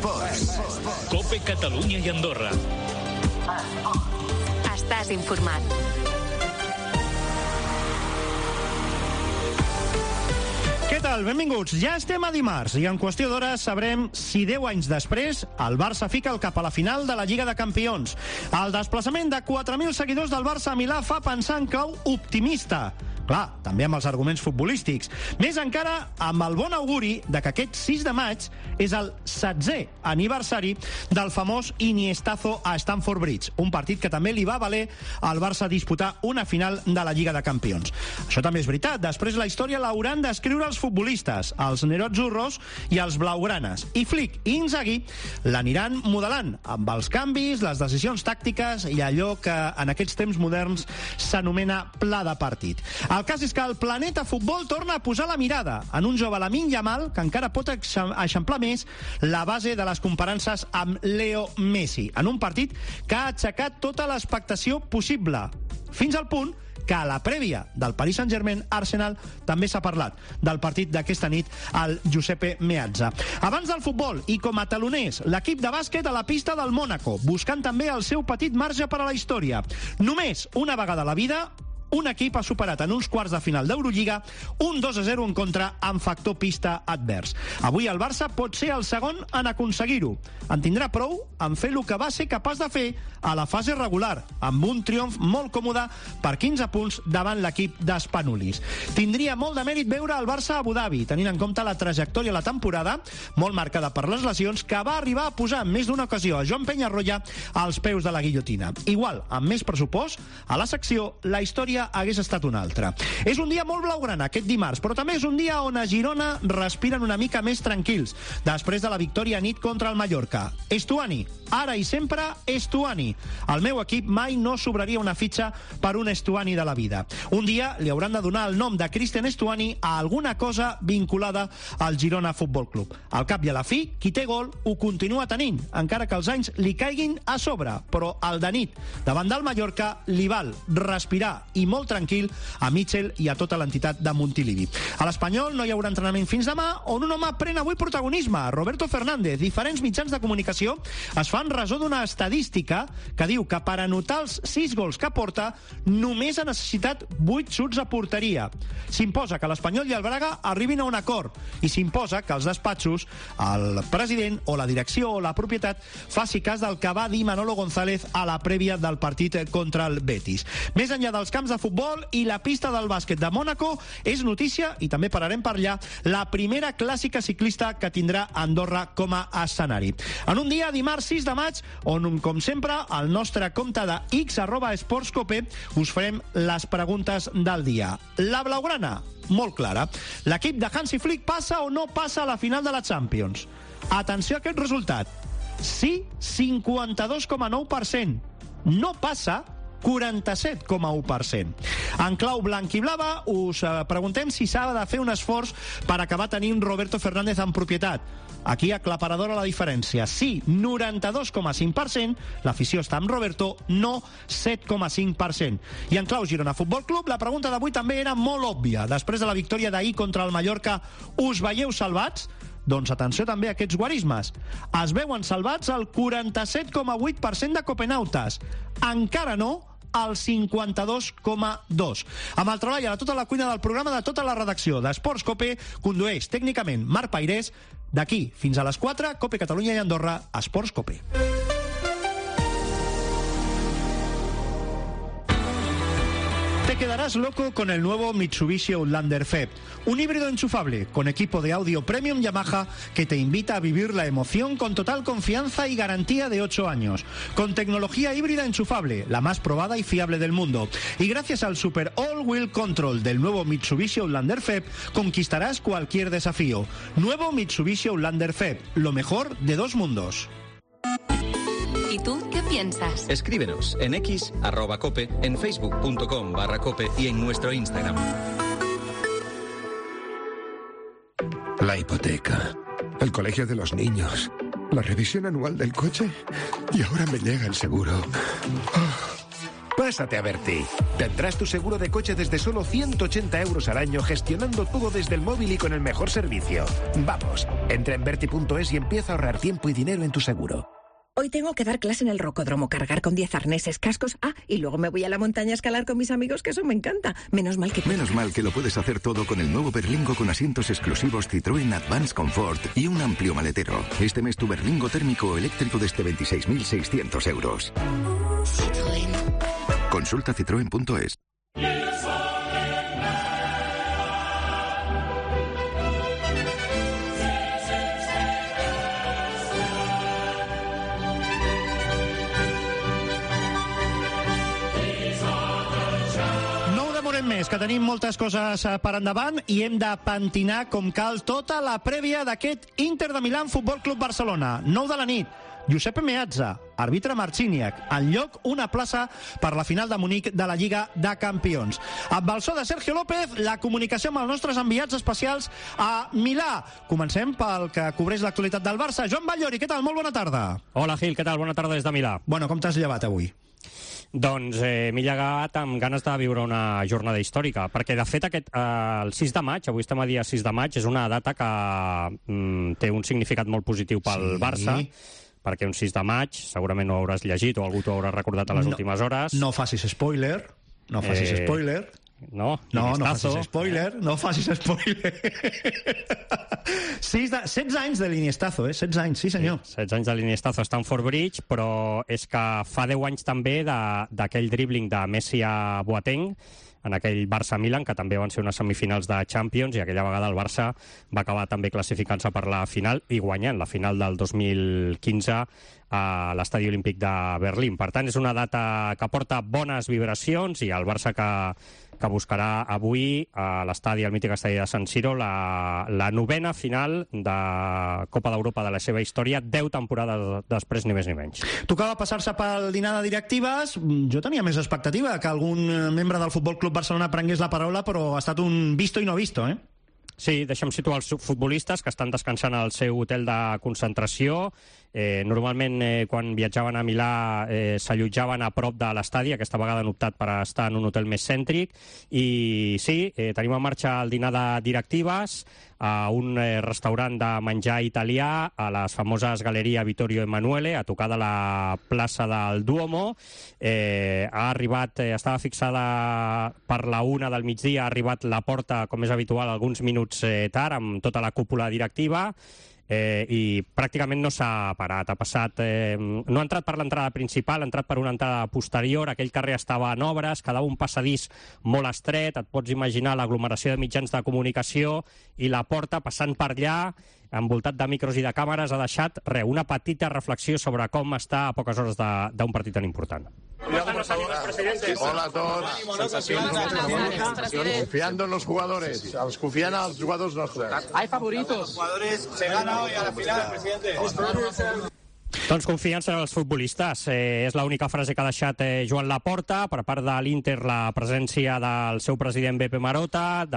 Esports. COPE Catalunya i Andorra. Estàs informat. Què tal? Benvinguts. Ja estem a dimarts i en qüestió d'hores sabrem si 10 anys després el Barça fica el cap a la final de la Lliga de Campions. El desplaçament de 4.000 seguidors del Barça a Milà fa pensar en clau optimista. Clar, també amb els arguments futbolístics. Més encara amb el bon auguri de que aquest 6 de maig és el 16è aniversari del famós Iniestazo a Stamford Bridge, un partit que també li va valer al Barça disputar una final de la Lliga de Campions. Això també és veritat. Després la història l'hauran d'escriure els futbolistes, els nerozzurros i els blaugranes. I Flick i Inzaghi l'aniran modelant amb els canvis, les decisions tàctiques i allò que en aquests temps moderns s'anomena pla de partit. El cas és que el planeta futbol torna a posar la mirada en un jove Lamine Yamal que encara pot eixamplar més la base de les comparances amb Leo Messi en un partit que ha aixecat tota l'expectació possible, fins al punt que a la prèvia del Paris Saint-Germain-Arsenal també s'ha parlat del partit d'aquesta nit al Giuseppe Meazza. Abans del futbol i com a taloners, l'equip de bàsquet a la pista del Mónaco, buscant també el seu petit marge per a la història. Només una vegada a la vida un equip ha superat en uns quarts de final d'Eurolliga un 2-0 en contra amb factor pista advers. Avui el Barça pot ser el segon en aconseguir-ho. En tindrà prou en fer el que va ser capaç de fer a la fase regular, amb un triomf molt còmode per 15 punts davant l'equip d'Spanulis. Tindria molt de mèrit veure el Barça a Abu Dhabi, tenint en compte la trajectòria a la temporada, molt marcada per les lesions, que va arribar a posar en més d'una ocasió a Joan Peñarroya als peus de la guillotina. Igual, amb més pressupost, a la secció la història hagués estat una altra. És un dia molt blaugrana aquest dimarts, però també és un dia on a Girona respiren una mica més tranquils després de la victòria a nit contra el Mallorca. Estuani, ara i sempre Estuani. El meu equip mai no sobraria una fitxa per un Estuani de la vida. Un dia li hauran de donar el nom de Cristian Estuani a alguna cosa vinculada al Girona Futbol Club. Al cap i a la fi, qui té gol ho continua tenint, encara que els anys li caiguin a sobre, però el de nit davant del Mallorca li val respirar i molt tranquil a Mitchell i a tota l'entitat de Montilivi. A l'Espanyol no hi haurà entrenament fins demà, on un home pren avui protagonisme, Roberto Fernández. Diferents mitjans de comunicació es fan ressò d'una estadística que diu que per anotar els 6 gols que porta només ha necessitat 8 xuts a porteria. S'imposa que l'Espanyol i el Braga arribin a un acord i s'imposa que els despatxos, el president o la direcció o la propietat faci cas del que va dir Manolo González a la prèvia del partit contra el Betis. Més enllà dels camps de futbol i la pista del bàsquet de Mònaco, és notícia, i també pararem per allà, la primera clàssica ciclista que tindrà Andorra com a escenari. En un dia, dimarts 6 de maig, on, com sempre, al nostre compte de x@esportscope us farem les preguntes del dia. La blaugrana, molt clara. L'equip de Hansi Flick passa o no passa a la final de la Champions? Atenció a aquest resultat. Sí, 52,9%. No passa, 47,1%. En clau blanc i blava us preguntem si s'ha de fer un esforç per acabar tenint Roberto Fernández en propietat. Aquí aclaparadora la diferència. Sí, 92,5%, l'afició està amb Roberto, no 7,5%. I en clau Girona Futbol Club, la pregunta d'avui també era molt òbvia. Després de la victòria d'ahir contra el Mallorca, us veieu salvats? Doncs atenció també a aquests guarismes. Es veuen salvats el 47,8% de copenautes. Encara no el 52,2%. Amb el treball a tota la cuina del programa de tota la redacció d'Esports Cope, condueix tècnicament Marc Pairés. D'aquí fins a les 4, Cope Catalunya i Andorra, Esports Cope. Te quedarás loco con el nuevo Mitsubishi Outlander FEB, un híbrido enchufable con equipo de audio premium Yamaha que te invita a vivir la emoción con total confianza y garantía de 8 años, con tecnología híbrida enchufable, la más probada y fiable del mundo. Y gracias al Super All-Wheel Control del nuevo Mitsubishi Outlander FEB, conquistarás cualquier desafío. Nuevo Mitsubishi Outlander FEB, lo mejor de dos mundos. ¿Y tú qué piensas? Escríbenos en X, @cope, en facebook.com/cope y en nuestro Instagram. La hipoteca, el colegio de los niños, la revisión anual del coche y ahora me llega el seguro. Pásate a Berti. Tendrás tu seguro de coche desde solo 180 euros al año, gestionando todo desde el móvil y con el mejor servicio. Vamos, entra en Berti.es y empieza a ahorrar tiempo y dinero en tu seguro. Hoy tengo que dar clase en el rocódromo, cargar con 10 arneses, cascos. Y luego me voy a la montaña a escalar con mis amigos, que eso me encanta. Menos mal que lo puedes hacer todo con el nuevo Berlingo con asientos exclusivos Citroën Advance Comfort y un amplio maletero. Este mes tu Berlingo térmico o eléctrico desde 26.600 euros. Citroën. Consulta citroen.es. Més, que tenim moltes coses per endavant i hem de pentinar com cal tota la prèvia d'aquest Inter de Milán Futbol Club Barcelona. 9 de la nit, Giuseppe Meazza, àrbitre Marciniak, en lloc una plaça per la final de Munic de la Lliga de Campions. Amb el so de Sergio López, la comunicació amb els nostres enviats especials a Milà. Comencem pel que cobreix l'actualitat del Barça. Joan Batllori, què tal? Molt bona tarda. Hola, Gil, què tal? Bona tarda des de Milà. Bueno, com t'has llevat avui? Doncs m'he llegat amb ganes de viure una jornada històrica, perquè de fet el 6 de maig, avui estem a dia 6 de maig, és una data que té un significat molt positiu pel Barça, perquè un 6 de maig, segurament ho hauràs llegit o algú t'ho haurà recordat a les últimes hores. No facis spoiler. No, no facis spoiler. 16 anys de l'Iniestazo, 16 anys, sí senyor. 16 anys de l'Iniestazo a Stamford Bridge, però és que fa 10 anys també d'aquell dribbling de Messi a Boateng, en aquell Barça-Milan, que també van ser unes semifinals de Champions, i aquella vegada el Barça va acabar també classificant-se per la final i guanyant la final del 2015 a l'Estadi Olímpic de Berlín. Per tant, és una data que porta bones vibracions i el Barça que buscarà avui a l'estadi, al mític estadi de San Siro, la novena final de Copa d'Europa de la seva història, 10 temporades després, ni més ni menys. Tocava passar-se pel dinar de directives. Jo tenia més expectativa que algun membre del Futbol Club Barcelona prengués la paraula, però ha estat un visto i no visto, Sí, deixem situar els futbolistes que estan descansant al seu hotel de concentració. Normalment, quan viatjaven a Milà, s'allotjaven a prop de l'estadi. Aquesta vegada han optat per estar en un hotel més cèntric. I sí, tenim en marxa el dinar de directives a un restaurant de menjar italià a les famoses Galeria Vittorio Emanuele, a tocar de la plaça del Duomo. Ha arribat, estava fixada per la 1 del migdia, ha arribat la porta, com és habitual, alguns minuts tard, amb tota la cúpula directiva, i pràcticament no s'ha parat. Ha passat, no ha entrat per l'entrada principal, ha entrat per una entrada posterior. Aquell carrer estava en obres, quedava un passadís molt estret. Et pots imaginar l'aglomeració de mitjans de comunicació, i la porta, passant per allà, envoltat de micros i de càmeres, ha deixat una petita reflexió sobre com està a poques hores d'un partit tan important. Hola a todos. Confiando en los jugadores. Confian a los jugadores nuestros. Hay favoritos. Los jugadores se gana hoy a la final, presidente. Doncs confiança en els futbolistes. És l'única frase que ha deixat Joan Laporta. Per part de l'Inter, la presència del seu president Beppe Marotta,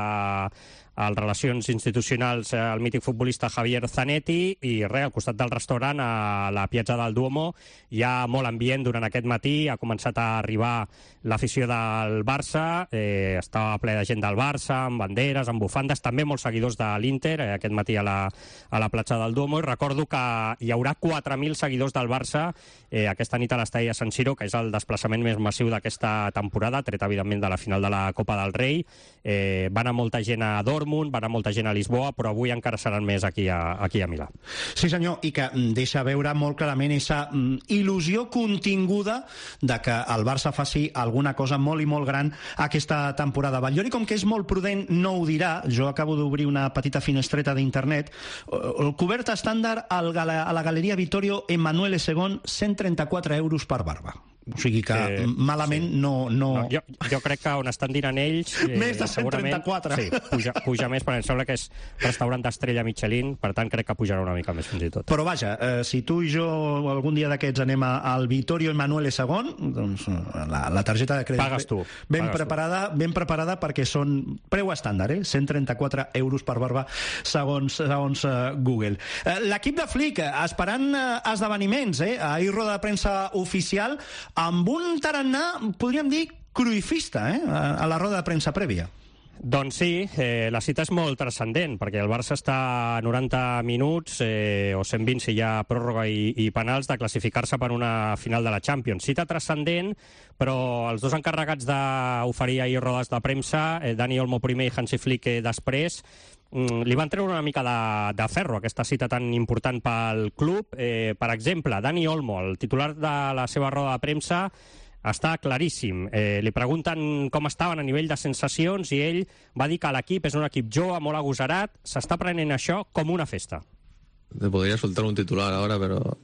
als relacions institucionals el mític futbolista Javier Zanetti, i al costat del restaurant, a la Piazza del Duomo, hi ha molt ambient durant aquest matí. Ha començat a arribar l'afició del Barça, estava ple de gent del Barça, amb banderes, amb bufandes, també molts seguidors de l'Inter aquest matí a la platja del Duomo, i recordo que hi haurà 4.000 seguidors del Barça aquesta nit a l'estadi de San Siro, que és el desplaçament més massiu d'aquesta temporada, tret evidentment de la final de la Copa del Rei. Va anar molta gent a Dortmund, va anar molta gent a Lisboa, però avui encara seran més aquí a Milà. Sí senyor, i que deixa veure molt clarament aquesta il·lusió continguda de que el Barça faci alguna cosa molt i molt gran aquesta temporada. Batllori, com que és molt prudent, no ho dirà. Jo acabo d'obrir una petita finestreta d'internet. El cobert estàndard a la Galeria Vittorio Emanuele II, 134 euros per barba. O sigui que malament no... Jo crec que on estan dinant ells... Més de 134. Sí, puja més, perquè em sembla que és restaurant d'estrella Michelin, per tant crec que pujarà una mica més fins i tot. Però vaja, si tu i jo algun dia d'aquests anem al Vittorio Emanuele II, doncs la targeta de crèdit... Pagues tu. Ben preparada perquè són preu estàndard, 134 euros per barba, segons Google. L'equip de Flick, esperant esdeveniments, ahir roda de premsa oficial, amb un tarannà, podríem dir, cruifista, a la roda de premsa prèvia. Doncs sí, la cita és molt transcendent, perquè el Barça està a 90 minuts, o 120 si hi ha pròrroga i penals, de classificar-se per una final de la Champions. Cita transcendent, però els dos encarregats d'oferir ahir rodes de premsa, Dani Olmo primer i Hansi Flick després, li van treure una mica de ferro aquesta cita tan important pel club. Per exemple, Dani Olmo, el titular de la seva roda de premsa, està claríssim. Li pregunten com estaven a nivell de sensacions i ell va dir que l'equip és un equip jove, molt agosarat, s'està prenent això com una festa. Te podría soltar un titular ahora, pero...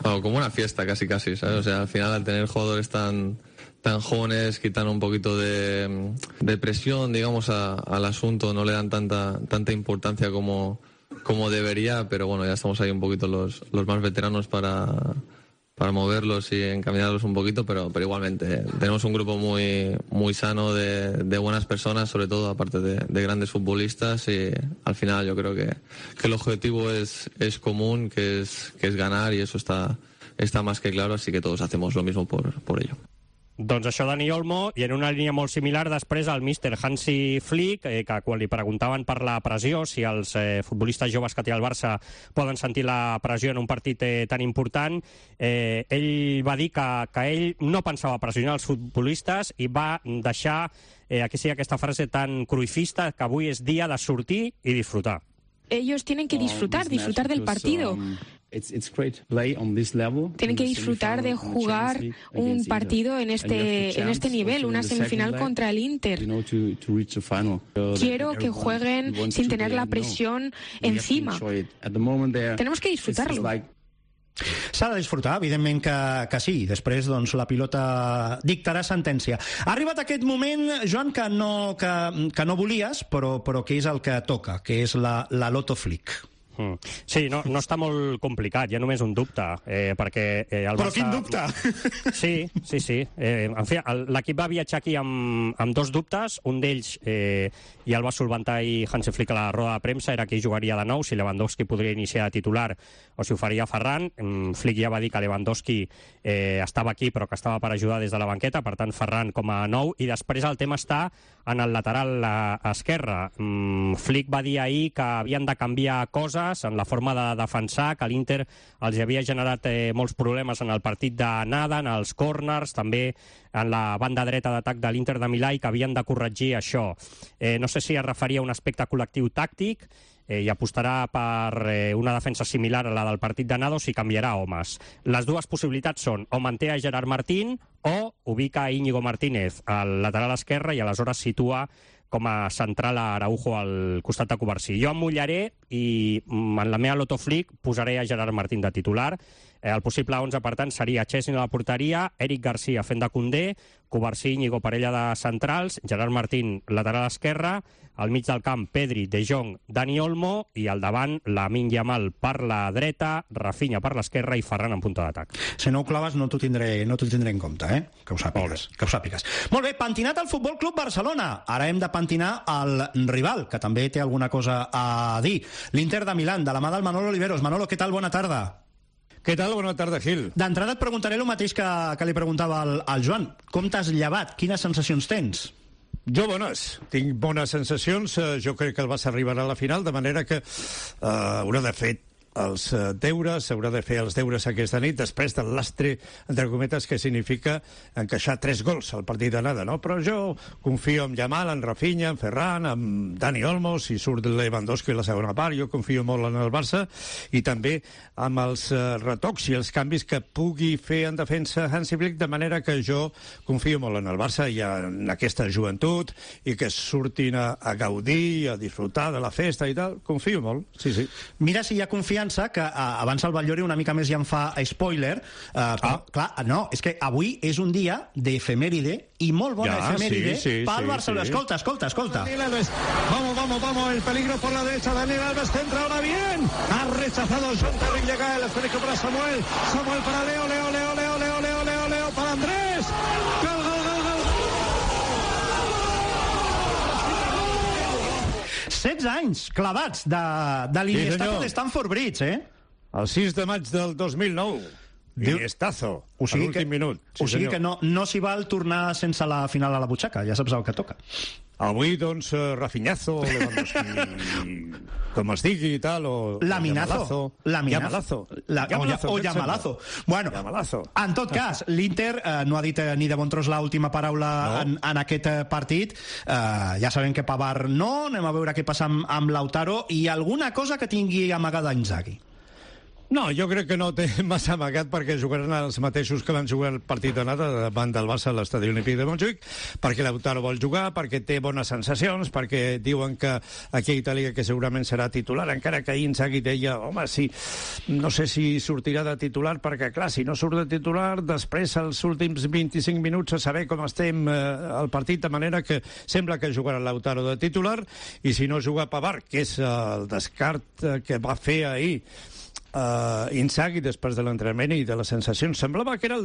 no, como una fiesta casi, ¿sabes? O sea, al final al tener jugadores tan jóvenes, quitan un poquito de presión, digamos, al asunto, no le dan tanta importancia como debería, pero bueno, ya estamos ahí un poquito los más veteranos para moverlos y encaminarlos un poquito, pero igualmente tenemos un grupo muy sano de buenas personas, sobre todo aparte de grandes futbolistas, y al final yo creo que el objetivo es común, que es ganar, y eso está más que claro, así que todos hacemos lo mismo por ello. Doncs això, Dani Olmo, i en una línia molt similar després el míster Hansi Flick, que quan li preguntaven per la pressió, si els futbolistes joves que té el Barça poden sentir la pressió en un partit tan important, ell va dir que ell no pensava pressionar els futbolistes i va deixar aquí sí aquesta frase tan cruifista, que avui és dia de sortir i disfrutar. Ellos tienen que disfrutar del partido. Tienen que disfrutar de jugar un partido en este nivel, una semifinal contra el Inter. Quiero que jueguen sin tener la presión encima. Tenemos que disfrutarlo. S'ha de disfrutar, evidentment que sí. Després, doncs, la pilota dictarà sentència. Ha arribat aquest moment, Joan, que no volies, però que és el que toca, que és la Loto Flick. Sí, no està molt complicat, hi ha només un dubte, perquè el Barça... Però quin dubte! Sí. En fi, l'equip va viatjar aquí amb dos dubtes, un d'ells ja el va solventar ahir Hansi Flick a la roda de premsa, era qui jugaria de nou, si Lewandowski podria iniciar de titular o si ho faria Ferran. Flick ja va dir que Lewandowski estava aquí però que estava per ajudar des de la banqueta, per tant Ferran com a nou, i després el tema està en el lateral esquerre. Flick va dir ahir que havien de canviar coses en la forma de defensar, que l'Inter els havia generat molts problemes en el partit d'anada, en els corners, també en la banda dreta d'atac de l'Inter de Milà, i que havien de corregir això. No sé si es referia a un aspecte col·lectiu tàctic i apostarà per una defensa similar a la del partit d'anada o si canviarà homes. Les dues possibilitats són o manté a Gerard Martín o ubica a Íñigo Martínez al lateral esquerre i aleshores situa com a central a Araujo al costat de Covarsí. Jo em mullaré i en la meva Loto Flick posaré a Gerard Martín de titular. El possible 11, per tant, seria Chesney a la porteria, Eric Garcia fent de Koundé, Covarsí, Íñigo parella de centrals, Gerard Martín lateral esquerre, al mig del camp Pedri, De Jong, Dani Olmo, i al davant Lamine Yamal per la dreta, Rafinha per l'esquerra i Ferran en punta d'atac. Si no ho claves no t'ho tindré en compte, que ho sàpigues. Molt bé, pentinat al Futbol Club Barcelona. Ara hem de pentinar el rival, que també té alguna cosa a dir. L'Inter de Milán, de la mà del Manolo Oliveros. Manolo, què tal? Bona tarda. Què tal? Bona tarda, Gil. D'entrada et preguntaré el mateix que li preguntava al Joan. Com t'has llevat? Quines sensacions tens? Jo bones. Tinc bones sensacions. Jo crec que el Barça arribarà a la final, de manera que haurà de fer els deures, haurà de fer els deures aquesta nit, després del lastre, entre cometes, que significa encaixar 3 gols al partit d'anada, no? Però jo confio en Yamal, en Rafinha, en Ferran, en Dani Olmo, si surt Lewandowski a la segona part, jo confio molt en el Barça, i també amb els retocs i els canvis que pugui fer en defensa Hansi Flick, de manera que jo confio molt en el Barça i en aquesta joventut, i que surtin a gaudir, a disfrutar de la festa i tal. Confio molt, sí. Mira si hi ha confiança, que abans el Batllori una mica més ja em fa spoiler, clar, no, és que avui és un dia d'efemèride, i molt bona efemèride pel Barcelona. Escolta. Vamos, el peligro por la derecha, Daniel Alves centra ahora bien, ha rechazado John Terry, llega el esférico para Samuel para Leo para Andrés, gol. 16 anys clavats de l'Iniesta de Stamford Bridge, El 6 de maig del 2009. Iniestazo, a l'últim minut. O sigui que no s'hi val tornar sense la final a la butxaca, ja saps el que toca. Avui, doncs, Rafinhazo, Lewandowski, com es digui i tal, o Yamalazo. Bueno, Yamalazo. En tot cas, l'Inter no ha dit ni de bon tros l'última paraula en aquest partit. Ja sabem que Pavard no, anem a veure què passa amb Lautaro i alguna cosa que tingui amagada Inzaghi. No, jo crec que no té massa amagat perquè jugaran els mateixos que van jugar el partit d'anada davant del Barça a l'Estadi Olímpic de Montjuïc, perquè Lautaro vol jugar, perquè té bones sensacions, perquè diuen que aquí a Itàlia que segurament serà titular, encara que ahir Inzaghi deia, home, sí, no sé si sortirà de titular, perquè clar, si no surt de titular, després els últims 25 minuts a saber com estem al partit, de manera que sembla que jugarà Lautaro de titular, i si no juga Pavard, que és el descart que va fer ahir Inzaghi després de l'entrenament i de les sensacions, semblava que era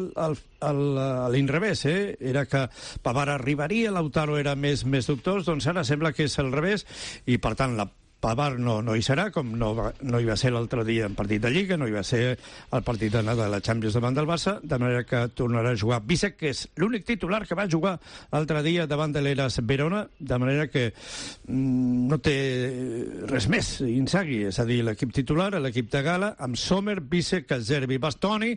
l'inrevés, era que Pavard arribaria, Lautaro era més dubtós, doncs ara sembla que és al revés, i per tant la Pavard no hi serà, com no hi va ser l'altre dia en partit de Lliga, no hi va ser el partit d'anada de la Champions davant del Barça, de manera que tornarà a jugar Bisek, que és l'únic titular que va jugar l'altre dia davant de l'Elas Verona, de manera que no té res més Inzaghi, és a dir, l'equip titular, l'equip de gala, amb Sommer, Bisek, Zerbi, Bastoni,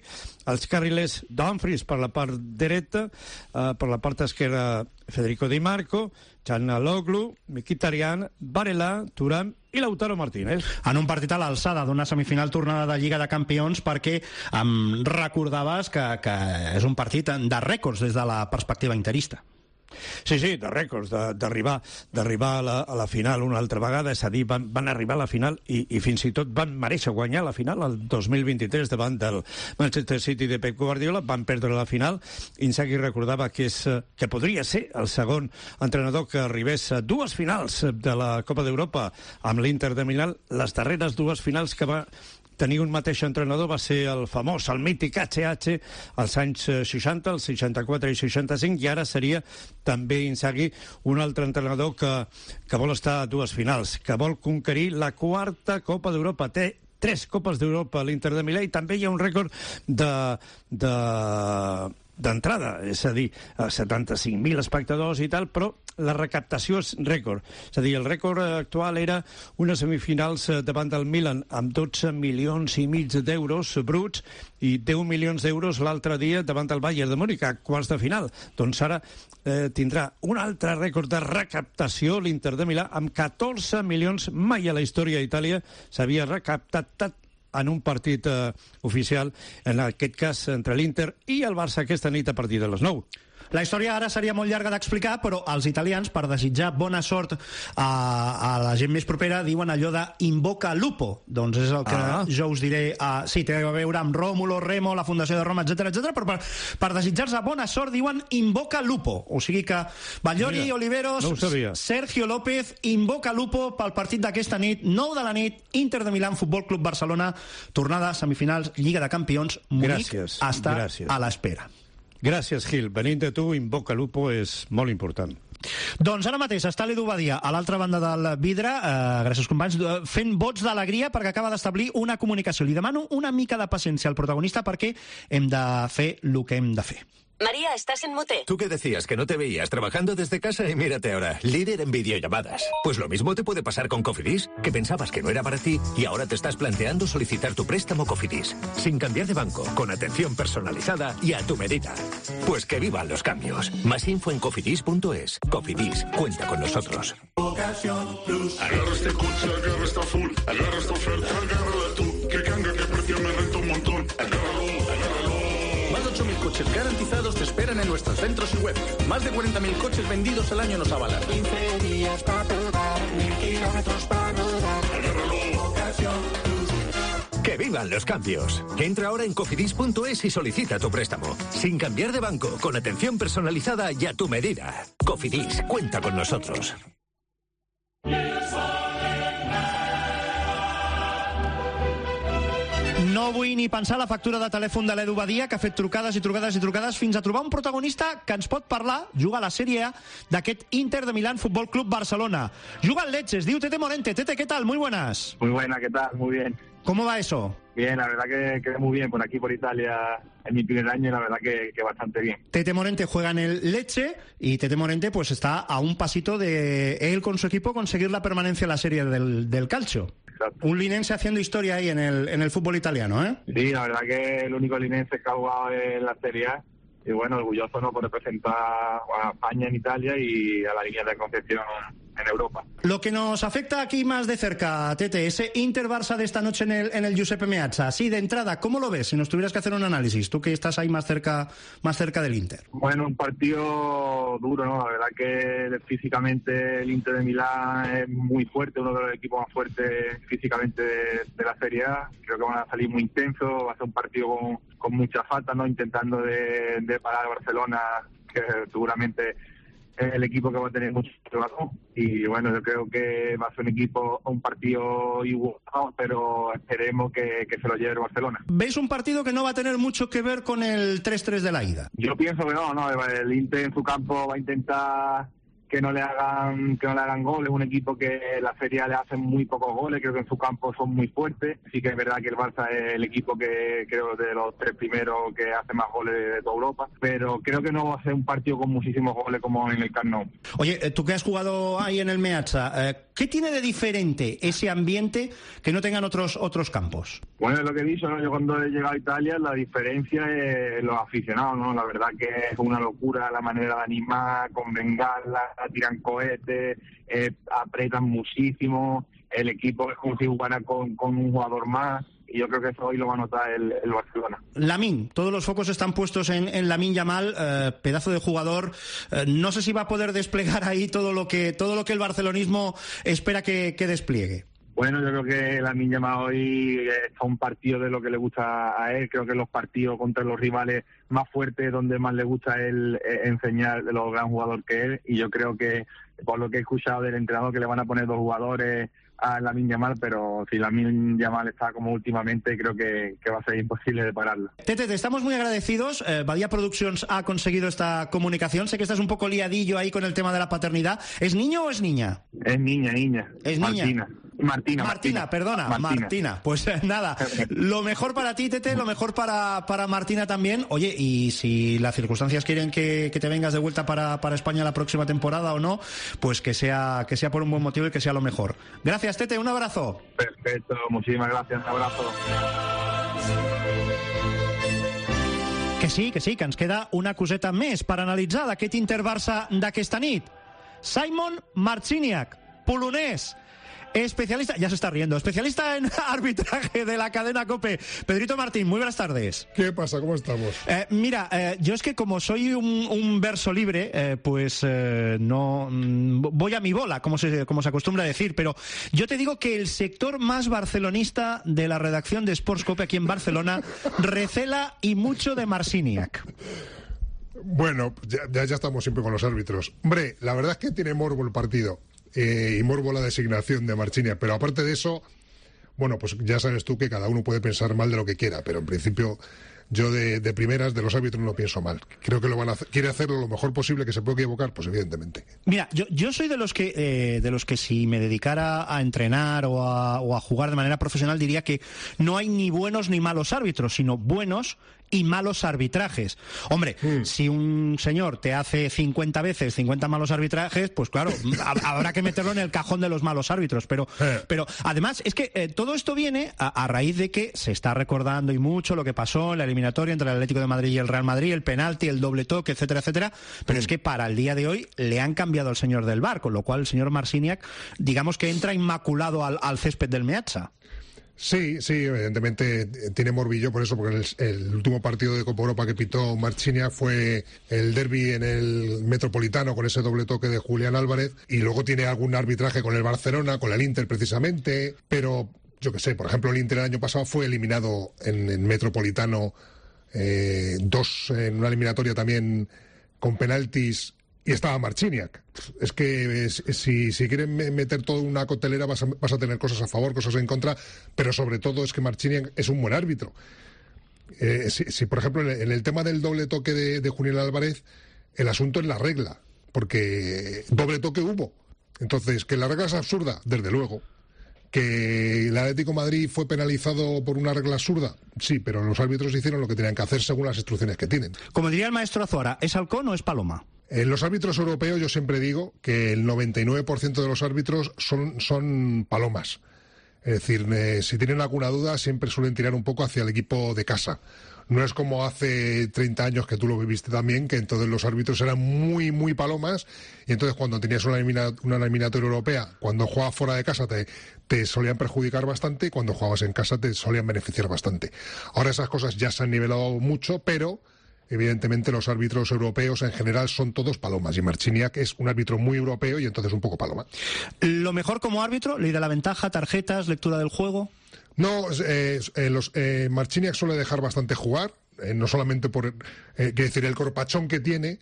els carrilers Dumfries per la part dreta, per la part esquerra Federico Di Marco, Çalhanoğlu, Mkhitaryan, Varela, Thuram i Lautaro Martínez. En un partit a l'alçada d'una semifinal tornada de Lliga de Campions, perquè em recordaves que és un partit de rècords des de la perspectiva interista. Sí, de rècords, d'arribar a la final una altra vegada, és a dir, van arribar a la final i fins i tot van mereixer guanyar la final el 2023 davant del Manchester City de Pep Guardiola, van perdre la final. Inzaghi recordava que podria ser el segon entrenador que arribés a dues finals de la Copa d'Europa amb l'Inter de Milà. Les darreres dues finals que va tenir un mateix entrenador va ser el famós, el mític HH, als anys 60, els 64 i 65, i ara seria també Inzaghi un altre entrenador que vol estar a dues finals, que vol conquerir la quarta Copa d'Europa. Té 3 Copes d'Europa a l'Inter de Milà i també hi ha un rècord d'entrada, és a dir, 75.000 espectadors i tal, però la recaptació és rècord. És a dir, el rècord actual era unes semifinals davant del Milan amb 12 milions i mig d'euros bruts i 10 milions d'euros l'altre dia davant del Bayern de Múnich a quarts de final. Doncs ara tindrà un altre rècord de recaptació l'Inter de Milà amb 14 milions. Mai a la història d'Itàlia s'havia recaptat en un partit oficial, en aquest cas entre l'Inter i el Barça aquesta nit a partir de les 9. La història ara seria molt llarga d'explicar, però els italians, per desitjar bona sort a la gent més propera, diuen allò de invoca lupo. Doncs és el que jo us diré. Sí, té a veure amb Rómulo, Remo, la Fundació de Roma, etc, però per desitjar-se bona sort diuen invoca lupo. O sigui que Ballori, Oliveros, Sergio López, invoca lupo pel partit d'aquesta nit, 9 de la nit, Inter de Milán, Futbol Club Barcelona, tornada, semifinals, Lliga de Campions, Múnich, està a l'espera. Gràcies, Gil. Venint de tu, invoca lupo és molt important. Doncs ara mateix està l'Edu Badia a l'altra banda del vidre, gràcies companys, fent vots d'alegria perquè acaba d'establir una comunicació. Li demano una mica de paciència al protagonista perquè hem de fer el que hem de fer. María, estás en mute. Tú que decías que no te veías trabajando desde casa y mírate ahora, líder en videollamadas. Pues lo mismo te puede pasar con Cofidis, que pensabas que no era para ti y ahora te estás planteando solicitar tu préstamo Cofidis, sin cambiar de banco, con atención personalizada y a tu medida. Pues que vivan los cambios. Más info en cofidis.es. Cofidis, cuenta con nosotros. Ocasión Plus. Agarra este coche, agarra esta full, agarra esta oferta, agárrala tú. Que canga, que precio me renta un montón. Agárralo. Más de 8.000 coches garantizados te esperan en nuestros centros y web. Más de 40.000 coches vendidos al año nos avalan. 15 días para probar, 1.000 kilómetros para rodar. Agárralo. Ocasión Plus. ¡Que vivan los cambios! Entra ahora en cofidis.es y solicita tu préstamo. Sin cambiar de banco, con atención personalizada y a tu medida. Cofidis, cuenta con nosotros. No vull ni pensar la factura de telèfon de l'Edu Badia, que ha fet trucades i trucades i trucades fins a trobar un protagonista que ens pot parlar, juga a la Sèrie A d'aquest Inter de Milán Fútbol Club Barcelona. Juga al Lecce, es diu Tete Morente. Tete, ¿qué tal? Muy buenas. Muy buena, ¿qué tal? Muy bien. ¿Cómo va eso? Bien, la verdad que quedé muy bien por aquí, por Italia, en mi primer año, y la verdad que bastante bien. Tete Morente juega en el Lecce y Tete Morente pues está a un pasito de él con su equipo conseguir la permanencia en la Serie del Calcio. Exacto. Un linense haciendo historia ahí en el fútbol italiano, ¿eh? Sí, la verdad que el único linense que ha jugado en la Serie A, y bueno, orgulloso no por representar a España en Italia y a la línea de Concepción en Europa. Lo que nos afecta aquí más de cerca, Tete, ese Inter-Barça de esta noche en el Giuseppe Meazza, así de entrada, ¿cómo lo ves? Si nos tuvieras que hacer un análisis, tú que estás ahí más cerca del Inter. Bueno, un partido duro, ¿no? La verdad que físicamente el Inter de Milán es muy fuerte, uno de los equipos más fuertes físicamente de la Serie A. Creo que van a salir muy intensos, va a ser un partido con mucha falta, ¿no? Intentando de parar a Barcelona, que seguramente es el equipo que va a tener mucho trabajo. Y bueno, yo creo que va a ser un partido igualado, pero esperemos que se lo lleve el Barcelona. ¿Veis un partido que no va a tener mucho que ver con el 3-3 de la ida? Yo pienso que no, el Inter en su campo va a intentar que no le hagan goles, un equipo que la Serie A le hacen muy pocos goles, creo que en su campo son muy fuertes. Sí que es verdad que el Barça es el equipo que creo de los 3 primeros que hace más goles de toda Europa, pero creo que no va a ser un partido con muchísimos goles como en el Camp Nou. Oye, tú que has jugado ahí en el Meazza, ¿qué tiene de diferente ese ambiente que no tengan otros campos? Bueno, es lo que he dicho, ¿no? Yo cuando he llegado a Italia, la diferencia es los aficionados, ¿no? La verdad que es una locura la manera de animar, con bengalas, tiran cohetes, apretan muchísimo, el equipo es como si jugara con un jugador más, y yo creo que eso hoy lo va a notar el Barcelona. Lamine, todos los focos están puestos en Lamine Yamal, pedazo de jugador. No sé si va a poder desplegar ahí todo lo que el barcelonismo espera que despliegue. Bueno, yo creo que Lamine Yamal hoy está un partido de lo que le gusta a él. Creo que los partidos contra los rivales más fuertes, donde más le gusta a él enseñar de lo gran jugador que es. Y yo creo que, por lo que he escuchado del entrenador, que le van a poner 2 jugadores a Lamine Yamal, pero si Lamine Yamal está como últimamente, creo que va a ser imposible de pararlo. Tete, te estamos muy agradecidos. Badia Productions ha conseguido esta comunicación. Sé que estás un poco liadillo ahí con el tema de la paternidad. ¿Es niño o es niña? Es niña. Es niña. Martina, perdona, Martina. Pues nada, lo mejor para ti, Tete, lo mejor para Martina también. Oye, y si las circunstancias quieren que te vengas de vuelta para España la próxima temporada o no, pues que sea por un buen motivo y que sea lo mejor. Gracias, Tete, un abrazo. Perfecto, muchísimas gracias, un abrazo. Que sí, que ens queda una coseta més per analitzar d'aquest Inter-Barça d'aquesta nit. Simon Marciniak, polonès, especialista, ya se está riendo, especialista en arbitraje de la cadena COPE. Pedrito Martín, muy buenas tardes. ¿Qué pasa? ¿Cómo estamos? Mira, yo es que como soy un verso libre, no voy a mi bola, como se acostumbra a decir, pero yo te digo que el sector más barcelonista de la redacción de Sports COPE aquí en Barcelona recela y mucho de Marciniak. Bueno, ya estamos siempre con los árbitros. Hombre, la verdad es que tiene morbo el partido. Y morbo la designación de Marciniak, pero aparte de eso, bueno, pues ya sabes tú que cada uno puede pensar mal de lo que quiera, pero en principio yo de primeras de los árbitros no pienso mal. Creo que lo van a quiere hacerlo lo mejor posible, que se puede equivocar, pues evidentemente. Mira, yo soy de los que si me dedicara a entrenar o a jugar de manera profesional diría que no hay ni buenos ni malos árbitros, sino buenos y malos arbitrajes. Hombre, si un señor te hace 50 veces 50 malos arbitrajes, pues claro, habrá que meterlo en el cajón de los malos árbitros. Pero además es que todo esto viene a raíz de que se está recordando y mucho lo que pasó en la eliminatoria entre el Atlético de Madrid y el Real Madrid, el penalti, el doble toque, etcétera, etcétera. Pero es que para el día de hoy le han cambiado al señor del VAR, con lo cual el señor Marciniak, digamos que entra inmaculado al césped del Meazza. Sí, evidentemente tiene morbillo por eso, porque el último partido de Copa Europa que pitó Marciniak fue el derbi en el Metropolitano con ese doble toque de Julián Álvarez, y luego tiene algún arbitraje con el Barcelona, con el Inter precisamente, pero yo qué sé, por ejemplo el Inter el año pasado fue eliminado en el Metropolitano 2 en una eliminatoria también con penaltis, y estaba Marciniak. Es que si quieren meter toda una coctelera vas a tener cosas a favor, cosas en contra, pero sobre todo es que Marciniak es un buen árbitro. Si por ejemplo en el tema del doble toque de Julián Álvarez, el asunto es la regla, porque doble toque hubo. Entonces, que la regla es absurda, desde luego, ¿Que el Atlético de Madrid fue penalizado por una regla absurda? Sí, pero los árbitros hicieron lo que tenían que hacer según las instrucciones que tienen. Como diría el maestro Azuara, ¿es halcón o es paloma? Los árbitros europeos, yo siempre digo que el 99% de los árbitros son palomas. Es decir, si tienen alguna duda, siempre suelen tirar un poco hacia el equipo de casa. No es como hace 30 años, que tú lo viviste también, que entonces los árbitros eran muy, muy palomas, y entonces cuando tenías una eliminatoria europea, cuando jugabas fuera de casa te solían perjudicar bastante, y cuando jugabas en casa te solían beneficiar bastante. Ahora esas cosas ya se han nivelado mucho, pero evidentemente los árbitros europeos en general son todos palomas, y Marciniak es un árbitro muy europeo y entonces un poco paloma. ¿Lo mejor como árbitro? ¿Ley de la ventaja, tarjetas, lectura del juego? No, Marciniak suele dejar bastante jugar, no solamente por... quiero decir, el corpachón que tiene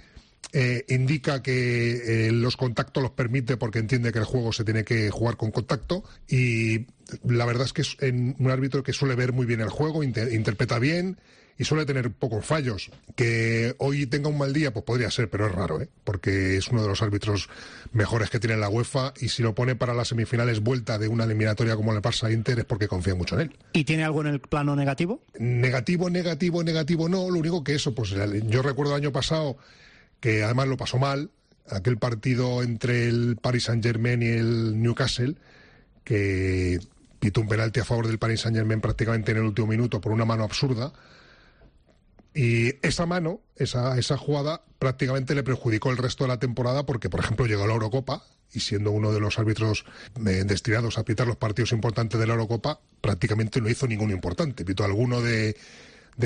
indica que los contactos los permite porque entiende que el juego se tiene que jugar con contacto, y la verdad es que es un árbitro que suele ver muy bien el juego, interpreta bien y suele tener pocos fallos. Que hoy tenga un mal día, pues podría ser, pero es raro, porque es uno de los árbitros mejores que tiene la UEFA, y si lo pone para las semifinales vuelta de una eliminatoria como el Barça-Inter es porque confía mucho en él. ¿Y tiene algo en el plano negativo? Negativo no. Lo único que eso, pues yo recuerdo el año pasado que además lo pasó mal, aquel partido entre el Paris Saint-Germain y el Newcastle, que pitó un penalti a favor del Paris Saint-Germain prácticamente en el último minuto por una mano absurda. Y esa mano, esa jugada, prácticamente le perjudicó el resto de la temporada porque, por ejemplo, llegó a la Eurocopa y siendo uno de los árbitros destinados a pitar los partidos importantes de la Eurocopa, prácticamente no hizo ninguno importante. Pitó alguno de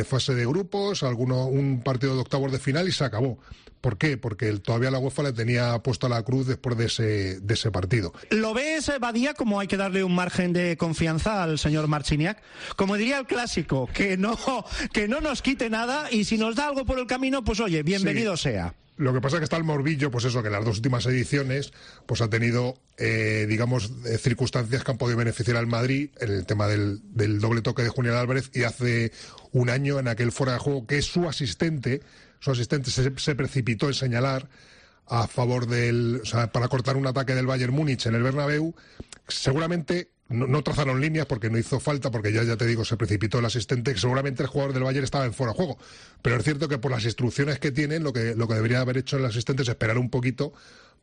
fase de grupos, un partido de octavos de final y se acabó. ¿Por qué? Porque todavía la UEFA le tenía puesta la cruz después de ese partido. ¿Lo ves, Badía, como hay que darle un margen de confianza al señor Marciniak? Como diría el clásico, que no nos quite nada, y si nos da algo por el camino, pues oye, bienvenido sea. Lo que pasa es que está el morbillo, pues eso, que en las dos últimas ediciones pues ha tenido, circunstancias que han podido beneficiar al Madrid en el tema del doble toque de Julián Álvarez, y hace un año en aquel fuera de juego que su asistente se precipitó en señalar a favor para cortar un ataque del Bayern Múnich en el Bernabéu. Seguramente no trazaron líneas porque no hizo falta, porque ya te digo, se precipitó el asistente, que seguramente el jugador del Bayern estaba en fuera de juego. Pero es cierto que por las instrucciones que tienen, lo que debería haber hecho el asistente es esperar un poquito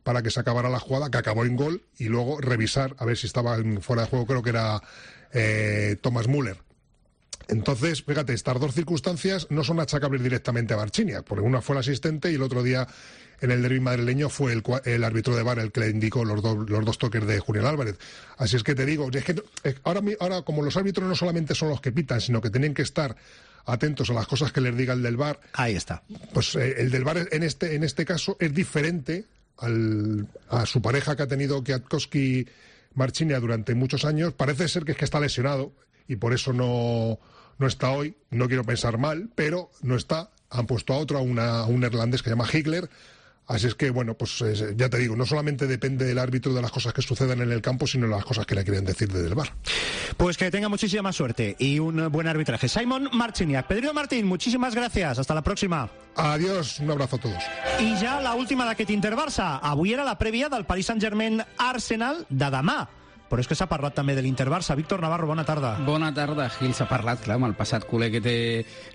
para que se acabara la jugada, que acabó en gol, y luego revisar a ver si estaba en fuera de juego. Creo que era Thomas Müller. Entonces, fíjate, estas dos circunstancias no son achacables directamente a Marciniak, porque una fue el asistente y el otro día en el derbi madrileño fue el árbitro de VAR el que le indicó los dos toques de Julián Álvarez. Así es que te digo, es que ahora como los árbitros no solamente son los que pitan, sino que tienen que estar atentos a las cosas que les diga el del VAR. Ahí está. Pues el del VAR en este caso es diferente a su pareja que ha tenido Kwiatkowski Marciniak durante muchos años. Parece ser que está lesionado y por eso no está hoy. No quiero pensar mal, pero no está. Han puesto a otro, a un neerlandés que se llama Higler. Así es que, bueno, pues ya te digo, no solamente depende del árbitro de las cosas que sucedan en el campo, sino de las cosas que le quieren decir desde el VAR. Pues que tenga muchísima suerte y un buen arbitraje. Simon Marciniak. Pedro Martín, muchísimas gracias. Hasta la próxima. Adiós, un abrazo a todos. I ja la última d'aquest Inter-Barça. Avui era la prèvia del Paris Saint-Germain-Arsenal de demà. Però és que s'ha parlat també de l'Inter-Barça. Víctor Navarro, bona tarda. Bona tarda, Gil. S'ha parlat, clar, amb el passat culer que té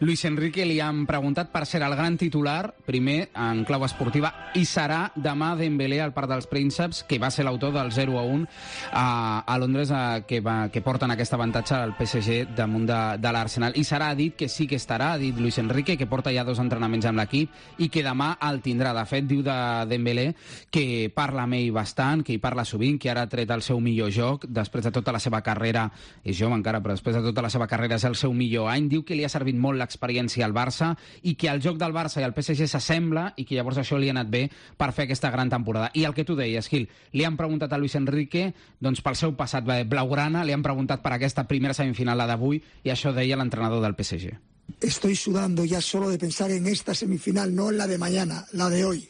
Luis Enrique. Li han preguntat per ser el gran titular, primer en clau esportiva, i serà demà Dembélé al Parc dels Prínceps, que va ser l'autor del 0-1 a Londres, que porten aquest avantatge al PSG damunt de l'Arsenal. I serà, ha dit que sí que estarà, ha dit Luis Enrique, que porta ja 2 entrenaments amb l'equip i que demà el tindrà. De fet, diu de Dembélé que parla amb ell bastant, que hi parla sovint, que ara ha tret el seu millor joc, després de tota la seva carrera, és jove encara, però després de tota la seva carrera és el seu millor any. Diu que li ha servit molt l'experiència al Barça i que el joc del Barça i el PSG s'assembla i que llavors això li ha anat bé per fer aquesta gran temporada. I el que tu deies, Gil, li han preguntat a Luis Enrique doncs pel seu passat blaugrana, li han preguntat per aquesta primera semifinal, la d'avui, i això deia l'entrenador del PSG. Estoy sudando ya solo de pensar en esta semifinal, no en la de mañana, la de hoy.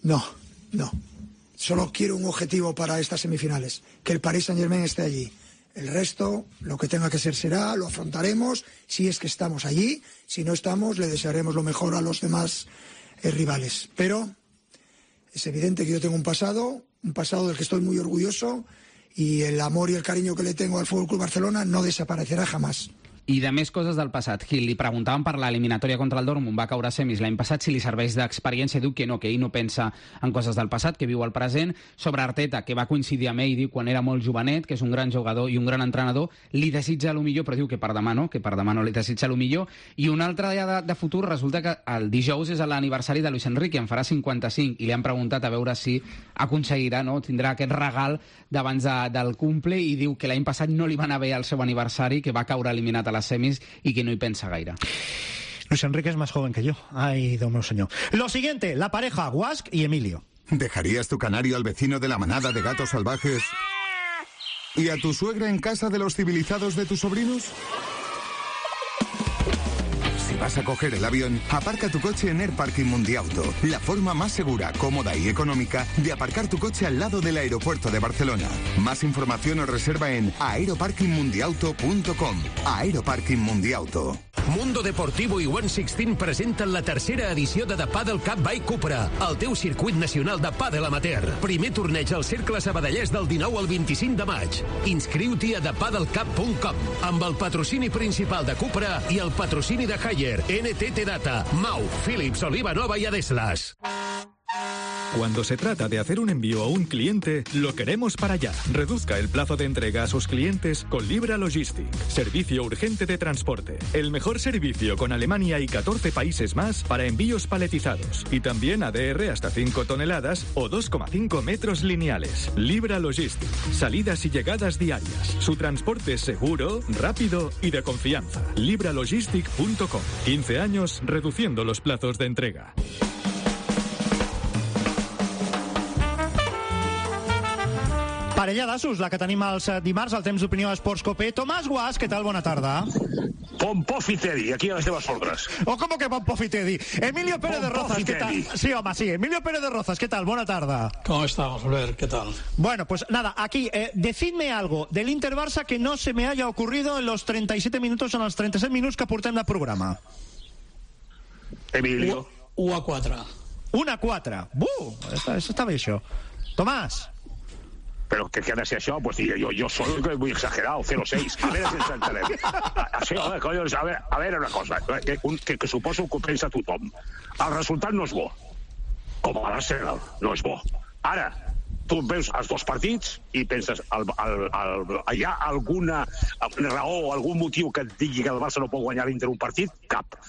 No. Solo quiero un objetivo para estas semifinales, que el Paris Saint-Germain esté allí. El resto, lo que tenga que ser será, lo afrontaremos, si es que estamos allí. Si no estamos, le desearemos lo mejor a los demás rivales. Pero es evidente que yo tengo un pasado del que estoy muy orgulloso y el amor y el cariño que le tengo al Fútbol Club Barcelona no desaparecerá jamás. I de més coses del passat. Gil, li preguntaven per l'eliminatòria contra el Dortmund, va caure a semis l'any passat, si li serveix d'experiència, diu que ell no pensa en coses del passat, que viu el present. Sobre Arteta, que va coincidir amb ell, diu quan era molt jovenet, que és un gran jugador i un gran entrenador, li desitja el millor, però diu que per demà no li desitja el millor. I un altre dia de futur, resulta que el dijous és l'aniversari de Luis Enrique, en farà 55, i li han preguntat a veure si aconseguirà, tindrà aquest regal d'abans del cumple, i diu que l'any passat no li va anar bé el seu aniversari, que va caure eliminat a les semis y que no hi pensa gaire. Luis Enrique es más joven que yo. Ay, Dios mío, señor. Lo siguiente, la pareja Guasch y Emilio. ¿Dejarías tu canario al vecino de la manada de gatos salvajes y a tu suegra en casa de los civilizados de tus sobrinos? Si vas a coger el avión, aparca tu coche en Air Parking Mundiauto, la forma más segura, cómoda y económica de aparcar tu coche al lado del aeropuerto de Barcelona. Más información o reserva en aeroparkingmundiauto.com. Aeroparking Mundiauto. Mundo Deportivo i One Sixteen presenten la tercera edició de The Padel Cup by Cupra, el teu circuit nacional de pàdel amateur. Primer torneig al Cercle Sabadellès del 19 al 25 de maig. Inscriu-t'hi a thepadelcup.com amb el patrocini principal de Cupra i el patrocini de Haier, NTT Data, Mau, Philips, Oliva Nova y Adeslas. Cuando se trata de hacer un envío a un cliente, lo queremos para allá. Reduzca el plazo de entrega a sus clientes con Libra Logistic. Servicio urgente de transporte. El mejor servicio con Alemania y 14 países más para envíos paletizados. Y también ADR hasta 5 toneladas o 2,5 metros lineales. Libra Logistic. Salidas y llegadas diarias. Su transporte es seguro, rápido y de confianza. libralogistic.com. 15 años reduciendo los plazos de entrega. Parella d'assos, la que tenim els dimarts al temps d'opinió a Esports Copé. Tomàs Guasch, què tal? Bona tarda. Pompofitedi, aquí a les teves ordres. O com que Pompofitedi? Emilio Pérez de Rozas, ¿qué tal? Sí, home, sí. Emilio Pérez de Rozas, ¿qué tal? Buena tarde. ¿Cómo estamos, Albert? ¿Qué tal? Bueno, pues nada, aquí, decidme algo del Inter-Barça que no se me haya ocurrido en los 37 minutos o en els 36 minuts que portem de programa. Emilio. 1-4. 1-4. Eso está bé, això. Tomàs. Pero que ha de ser això, pues yo soy muy exagerado, 0-6. A ver si ens entenem. Així, coño, a veure una cosa, que suposo que ho pensa tothom. El resultat no és bo, com a l'Arsenal, no és bo. Ara, tu veus els dos partits i penses, hi ha alguna raó o algun motiu que et digui que el Barça no pot guanyar l'Inter un partit? Cap.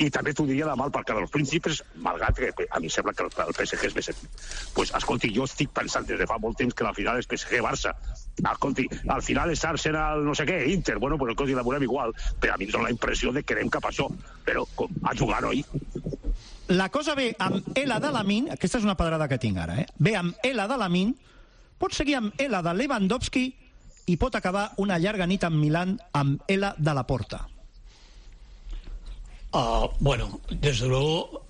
I també t'ho diria de mal perquè dels príncipes, malgrat que a mi sembla que el PSG és més equip. Pues, escolti, jo estic pensant des de fa molt temps que la final és PSG-Barça. Escolti, al final és Arsenal no sé què, Inter, bueno, pues escolti, la veurem igual, però a mi em dóna la impressió de que anem cap a això, però a jugar, oi? La cosa ve amb Ela de Lamin, aquesta és una pedrada que tinc ara, ve amb Ela de Lamin, pot seguir amb Ela de Lewandowski i pot acabar una llarga nit en Milán amb Ela de la Porta. Bueno, desde luego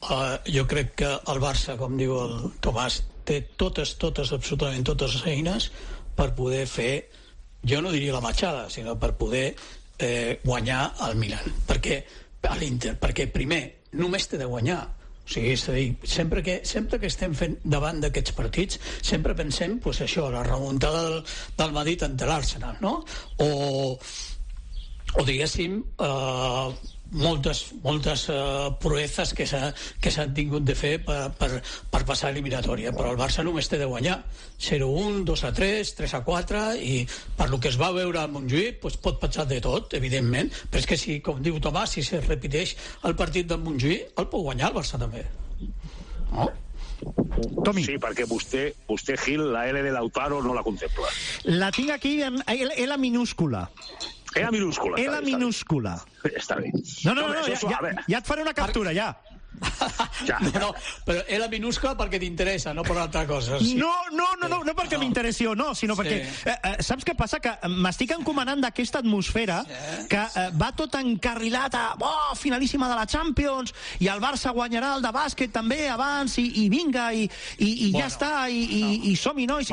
yo creo que el Barça, com diu el Tomàs, té totes, absolutament totes les eines per poder fer, jo no diria la matxada, sinó per poder guanyar al Milan, perquè a l'Inter, perquè primer només té de guanyar. O sigui, és a dir, sempre que estem fent davant d'aquests partits, sempre pensem, pues això, la remuntada del Madrid ante l'Arsenal, no? O diguéssim, moltes proezas que s'han tingut de fer per passar eliminatòria, però el Barça només té de guanyar 0-1, 2-3, 3-4, i per lo que es va veure a Montjuïc pues pot passar de tot, evidentment, però és que si, com diu Tomàs, si se repeteix el partit de Montjuïc, el pot guanyar el Barça també, no? Tommy. Sí, perquè vostè, Gil, la L de Lautaro no la contempla. La tinc aquí en L minúscula. Era minúscula. Era minúscula. Està bé. No, ja et faré una captura, ja. No, però era minúscula perquè t'interessa, no per altra cosa. Sí. No perquè m'interessi o no, sinó perquè saps què passa? Que m'estic encomanant d'aquesta atmosfera que va tot encarrilat a finalíssima de la Champions, i el Barça guanyarà el de bàsquet també abans, i vinga, i ja està, i som-hi, no? I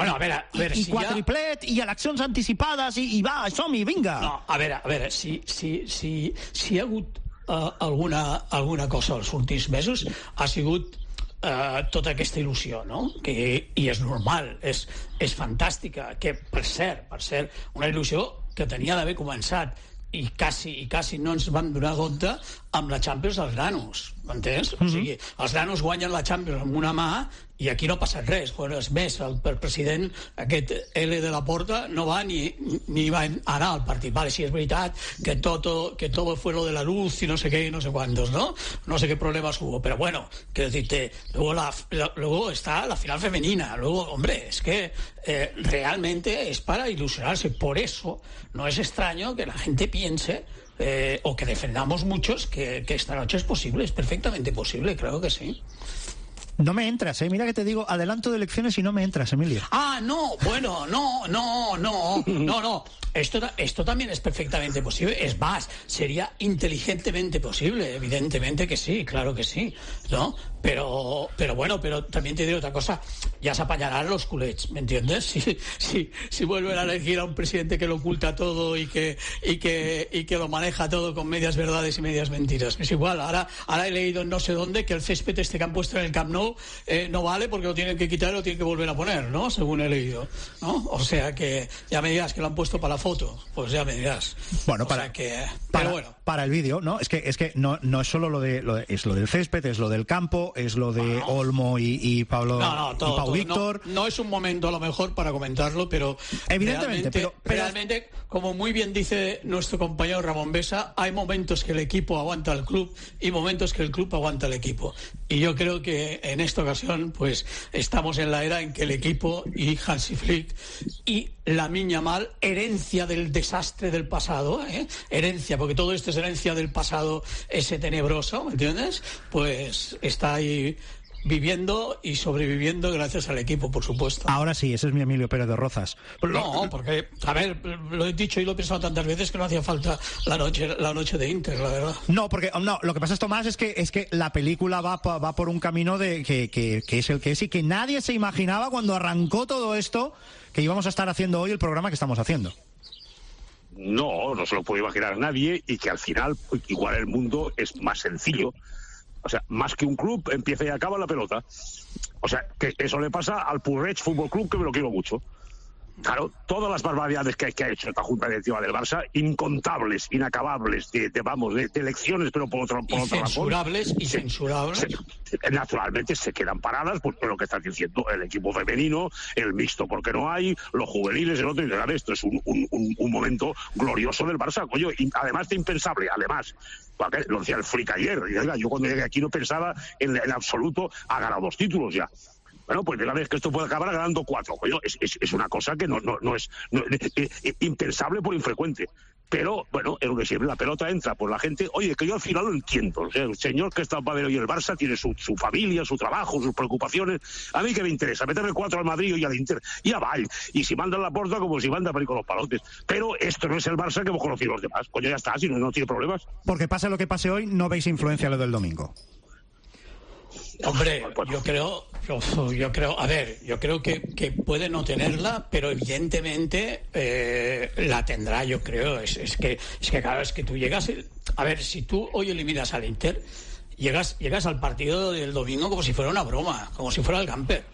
quadriplet, i eleccions anticipades, i va, som-hi, vinga. No, a veure, si hi ha hagut alguna cosa els últims mesos, ha sigut tota aquesta il·lusió, no? I és normal, és fantàstica, que per cert, una il·lusió que tenia d'haver començat i quasi no ens vam donar compte amb la Champions dels nanos, m'entens? O sigui, els nanos guanyen la Champions amb una mà i aquí no ha passat res. Bueno, és més, el president, aquest L de la Porta, no va ni va anar al partit. Vale, sí, es veritat que todo fue lo de la luz y no sé qué y no sé cuántos, ¿no? No sé qué problemas hubo, pero bueno, quiero decirte, luego está la final femenina. Luego, hombre, es que realmente es para ilusionarse. Por eso no es extraño que la gente piense o que defendamos muchos que esta noche es posible, es perfectamente posible, creo que sí. No me entras, mira que te digo, adelanto de elecciones y no me entras, Emilio. No, bueno, no. Esto también es perfectamente posible. Es más, sería inteligentemente posible, evidentemente que sí, claro que sí, ¿no? Pero bueno, pero también te digo otra cosa, ya se apañarán los culets, ¿me entiendes? Si vuelven a elegir a un presidente que lo oculta todo y que lo maneja todo con medias verdades y medias mentiras. Es igual, ahora he leído en no sé dónde que el césped este que han puesto en el Camp Nou no vale porque lo tienen que quitar y lo tienen que volver a poner, ¿no? Según he leído, ¿no? O sea que ya me digas que lo han puesto para la foto, pues ya me dirás. Bueno, para el vídeo, ¿no? Es que no es solo es lo del césped, es lo del campo, es lo de Olmo y Pablo y Pau Víctor. No es un momento a lo mejor para comentarlo, pero evidentemente, realmente, como muy bien dice nuestro compañero Ramón Besa, hay momentos que el equipo aguanta al club y momentos que el club aguanta al equipo. Y yo creo que en esta ocasión, pues estamos en la era en que el equipo y Hansi Flick y Lamine Yamal, herencia del desastre del pasado, herencia, porque todo esto es herencia del pasado ese tenebroso, ¿me entiendes? Pues está ahí viviendo y sobreviviendo gracias al equipo, por supuesto. Ahora sí, ese es mi Emilio Pérez de Rozas. No, porque, a ver, lo he dicho y lo he pensado tantas veces que no hacía falta la noche de Inter, la verdad. No, lo que pasa, Tomás, es que la película va por un camino de que es el que es y que nadie se imaginaba cuando arrancó todo esto que íbamos a estar haciendo hoy el programa que estamos haciendo. No se lo puede imaginar nadie, y que al final igual el mundo es más sencillo. O sea, más que un club, empieza y acaba la pelota. O sea, que eso le pasa al Purreig Fútbol Club, que me lo quiero mucho. Claro, todas las barbaridades que ha hecho esta junta directiva del Barça, incontables, inacabables, de elecciones, pero por otra censurables razón, y censurables. Naturalmente se quedan paradas por lo que está diciendo el equipo femenino, el mixto porque no hay, los juveniles, el otro, y claro, esto es un momento glorioso del Barça, coño, y además de impensable, lo decía el Flick ayer, yo cuando llegué aquí no pensaba en absoluto, ha ganado 2 títulos ya. Bueno, pues la vez que esto puede acabar ganando 4. Coño, es una cosa que no es impensable por infrecuente. Pero, bueno, es lo que siempre, la pelota entra por la gente. Oye, que yo al final lo entiendo. O sea, el señor que está en Padel y el Barça tiene su familia, su trabajo, sus preocupaciones. A mí que me interesa, meterle 4 al Madrid y al Inter y a Vall. Y si mandan la porta, como si manda para ir con los palotes. Pero esto no es el Barça que hemos conocido los demás. Coño, ya está, si no tiene problemas. Porque pase lo que pase hoy, no veis influencia lo del domingo. Hombre, yo creo, que puede no tenerla, pero evidentemente la tendrá, yo creo. Es que claro, es que tú llegas, a ver, si tú hoy eliminas al Inter, llegas al partido del domingo como si fuera una broma, como si fuera el camper.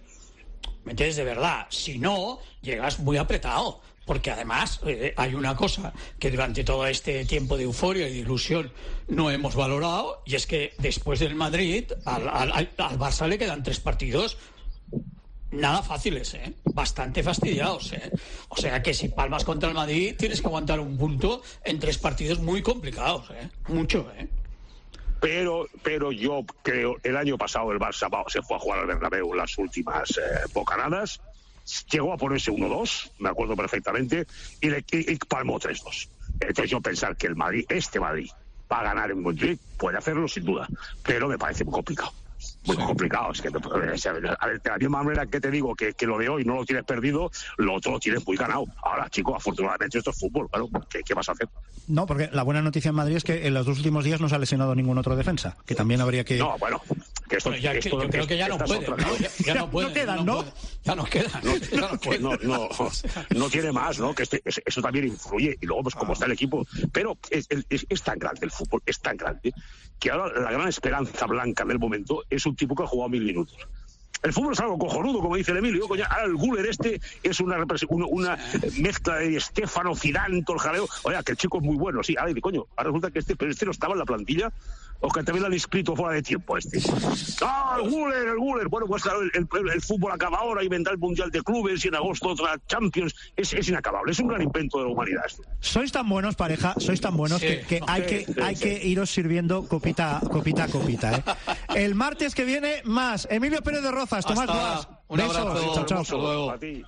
¿Me entiendes? De verdad. Si no, llegas muy apretado. Porque además hay una cosa que durante todo este tiempo de euforia y de ilusión no hemos valorado, y es que después del Madrid al Barça le quedan 3 partidos nada fáciles, bastante fastidiados. O sea que si palmas contra el Madrid tienes que aguantar un punto en 3 partidos muy complicados, mucho. Pero yo creo, el año pasado el Barça se fue a jugar al Bernabéu las últimas bocanadas. Llegó a ponerse 1-2, me acuerdo perfectamente, y palmó 3-2. Entonces yo pensar que este Madrid va a ganar en Madrid, puede hacerlo sin duda, pero me parece muy complicado. Muy complicado. Es que, a ver, de la misma manera que te digo que lo de hoy no lo tienes perdido, lo otro lo tienes muy ganado. Ahora, chicos, afortunadamente esto es fútbol, claro, ¿qué vas a hacer? No, porque la buena noticia en Madrid es que en los 2 últimos días no se ha lesionado ningún otro defensa, que también habría que... No, bueno, que esto... Yo creo que ya no puede, ¿no? Ya no puede. No quedan, ¿no? Ya no quedan. No tiene más, ¿no? Que eso también influye. Y luego, pues, como está el equipo... Pero es tan grande el fútbol, es tan grande, que ahora la gran esperanza blanca del momento es un tipo que ha jugado 1000 minutos. El fútbol es algo cojonudo, como dice el Emilio. Coño, ahora el Güler es una mezcla de Stéfano, Zidane, todo el jaleo. Oye, que el chico es muy bueno, sí. Ahora resulta que pero este no estaba en la plantilla, o que también lo han inscrito fuera de tiempo ¡Ah, el Güler! Bueno, pues claro, el fútbol acaba ahora y vendrá el Mundial de Clubes y en agosto otra Champions. Es inacabable, es un gran invento de la humanidad esto. Sois tan buenos, pareja, sois tan buenos que hay que iros sirviendo copita a copita, ¿eh? El martes que viene, más. Emilio Pérez de Rozas, Tomás Guas. Un abrazo. Chao. Hasta luego. A ti.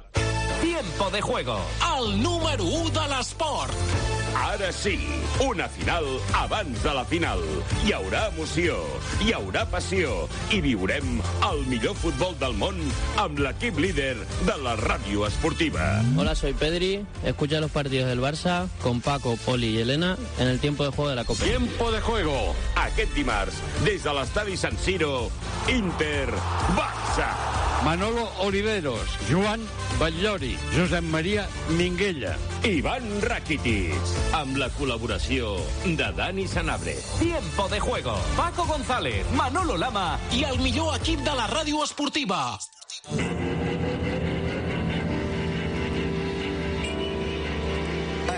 Tiempo de juego, el número 1 de l'esport. Ara sí, una final abans de la final. Hi haurà emoció, hi haurà passió i viurem el millor futbol del món amb l'equip líder de la ràdio esportiva. Hola, soy Pedri. Escucha los partidos del Barça con Paco, Poli y Elena en el tiempo de juego de la Copa. Tiempo de juego, aquest dimarts, des de l'estadi San Siro, Inter-Barça. Manolo Oliveros, Joan Batllori, Josep Maria Minguella, Ivan Rakitic, amb la col·laboració de Dani Sanabria. Tiempo de juego, Paco González, Manolo Lama i el millor equip de la ràdio esportiva.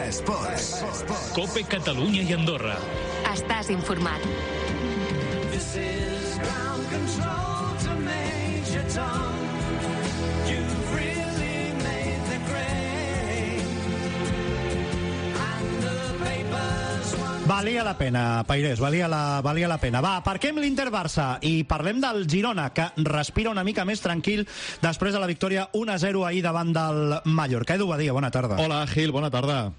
Esports. Cope Catalunya i Andorra. Estàs informat. This is ground control to Major Tom. You've really made the grade. And the papers want... Valia la pena, Pairés, valia la pena. Va, aparquem l'Inter-Barça i parlem del Girona, que respira una mica més tranquil després de la victòria 1-0 ahir davant del Mallorca. Edu Badia, bona tarda. Hola, Gil, bona tarda.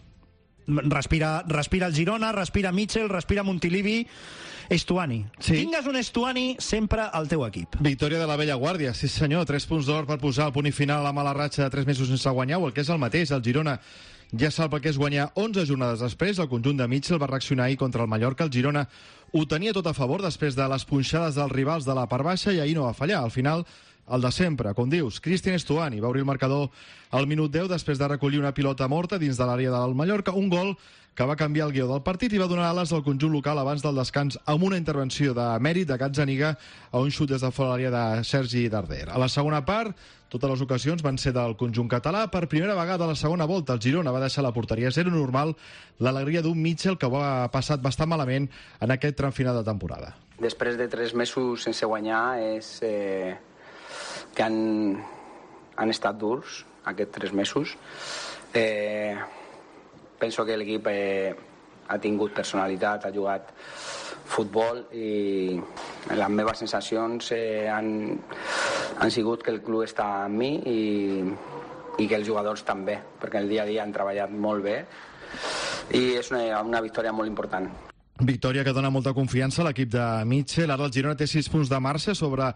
Respira el Girona, respira Mitchell, respira Montilivi, Estuani. Sí. Tingues un Estuani sempre al teu equip. Victòria de la vella guàrdia, sí senyor, 3 punts d'or per posar el punt i final a la mala ratxa de 3 mesos sense guanyar, o el que és el mateix, el Girona ja sap el que és guanyar 11 jornades després. El conjunt de Mitchell va reaccionar ahir contra el Mallorca. El Girona ho tenia tot a favor després de les punxades dels rivals de la part baixa i ahir no va fallar. Al final, el de sempre, com dius, Cristian Estuani va obrir el marcador al minut 10 després de recollir una pilota morta dins de l'àrea del Mallorca, un gol que va canviar el guió del partit i va donar ales al conjunt local abans del descans amb una intervenció de mèrit de Gazzaniga a un xut des de fora l'àrea de Sergi Darder. A la segona part, totes les ocasions van ser del conjunt català. Per primera vegada a la segona volta, el Girona va deixar la porteria a 0, normal l'alegria d'un Mitchell que ho ha passat bastant malament en aquest tram final de temporada. Després de 3 mesos sense guanyar és... que han estat durs aquests 3 mesos. Penso que l'equip ha tingut personalitat, ha jugat futbol i les meves sensacions han sigut que el club està amb mi i que els jugadors també, perquè el dia a dia han treballat molt bé i és una victòria molt important. Victòria que dona molta confiança a l'equip de Mitchell. Ara el Girona té 6 punts de marxa sobre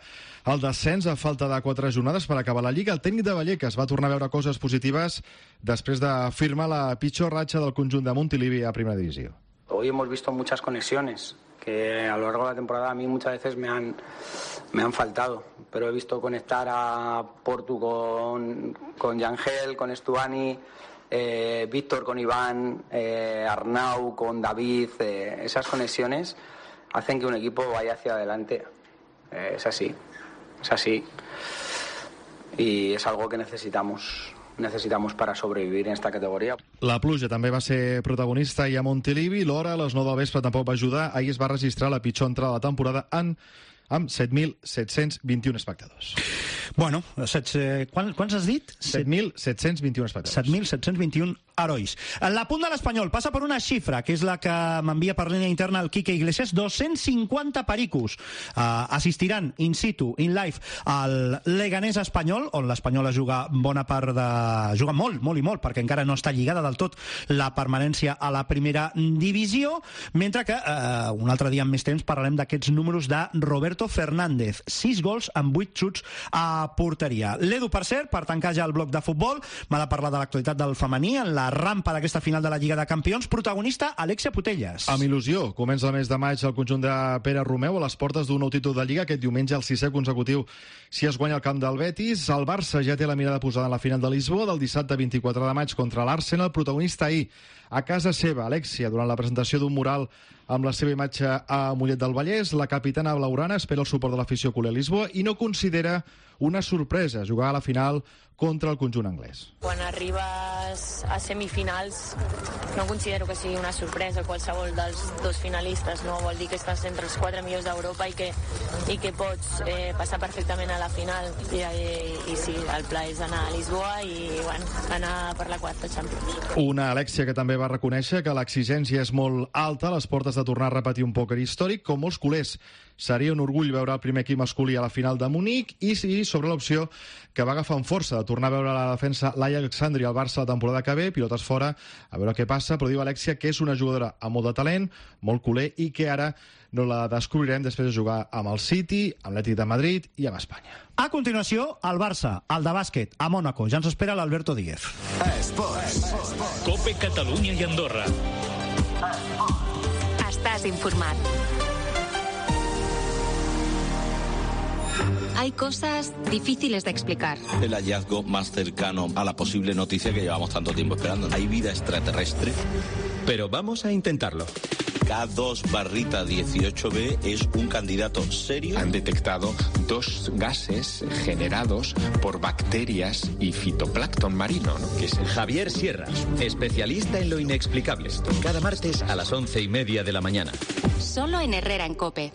el descens a falta de 4 jornades per acabar la Lliga. El tècnic de Vallecas va tornar a veure coses positives després de firmar la pitjor ratxa del conjunt de Montilivi a Primera Divisió. Hoy hemos visto muchas conexiones que a lo largo de la temporada a mí muchas veces me han faltado, pero he visto conectar a Portu con Yangel, con Estuani, Víctor con Iván, Arnau con David. Esas conexiones hacen que un equipo vaya hacia adelante. Es así y es algo que necesitamos para sobrevivir en esta categoría. La pluja també va ser protagonista i a Montilivi. L'hora a les 9 del vespre tampoc va ajudar. Ahir es va registrar la pitjor entrada de la temporada amb 7.721 espectadors. Bueno, quants has dit? 7.721 espectadors. 7.721 herois. L'apunt de l'Espanyol passa per una xifra, que és la que m'envia per línia interna el Quique Iglesias. 250 pericos assistiran in situ, in live, al Leganés Espanyol, on l'Espanyol juga bona part de... juga molt, perquè encara no està lligada del tot la permanència a la primera divisió, mentre que un altre dia amb més temps parlarem d'aquests números de Roberto Fernández. 6 gols amb 8 xuts a porteria. L'Edu, per cert, per tancar ja el bloc de futbol, m'ha de parlar de l'actualitat del femení en la rampa d'aquesta final de la Lliga de Campions. Protagonista, Alexia Putellas. Amb il·lusió. Comença el mes de maig el conjunt de Pere Romeu a les portes d'un nou títol de Lliga. Aquest diumenge, el 6è consecutiu, si es guanya el camp del Betis. El Barça ja té la mirada posada en la final de Lisboa del dissabte 24 de maig contra l'Arsenal. Protagonista ahir a casa seva, Alexia, durant la presentació d'un mural amb la seva imatge a Mollet del Vallès. La capitana blaugrana espera el suport de l'afició culer a Lisboa i no considera una sorpresa jugar a la final contra el conjunt anglès. Quan arribes a semifinals no considero que sigui una sorpresa qualsevol dels dos finalistes, no? Vol dir que estàs entre els 4 millors d'Europa i que pots passar perfectament a la final i sí, el pla és anar a Lisboa i bueno, anar per la quarta Champions. Una Alexia que també va reconèixer que l'exigència és molt alta a les portes de tornar a repetir un pòquer històric. Com molts culers, seria un orgull veure el primer equip masculí a la final de Munic i sí, sobre l'opció que va agafar amb força de tornar a veure la defensa Laia Alexandri al Barça la temporada que ve, pilotes fora, a veure què passa, però diu Alexia que és una jugadora amb molt de talent, molt culer i que ara no la descobrirem després de jugar amb el City, amb l'Atlètic de Madrid i amb Espanya. A continuació, el Barça, el de bàsquet, a Mònaco. Ja ens espera l'Alberto Díez. Cope Catalunya i Andorra. Estàs informat. Hay cosas difíciles de explicar. El hallazgo más cercano a la posible noticia que llevamos tanto tiempo esperando. ¿Hay vida extraterrestre? Pero vamos a intentarlo. K2-18b es un candidato serio. Han detectado 2 gases generados por bacterias y fitoplancton marino, ¿no? Que es Javier Sierras, especialista en lo inexplicable. Cada martes a las 11:30 de la mañana. Solo en Herrera en COPE.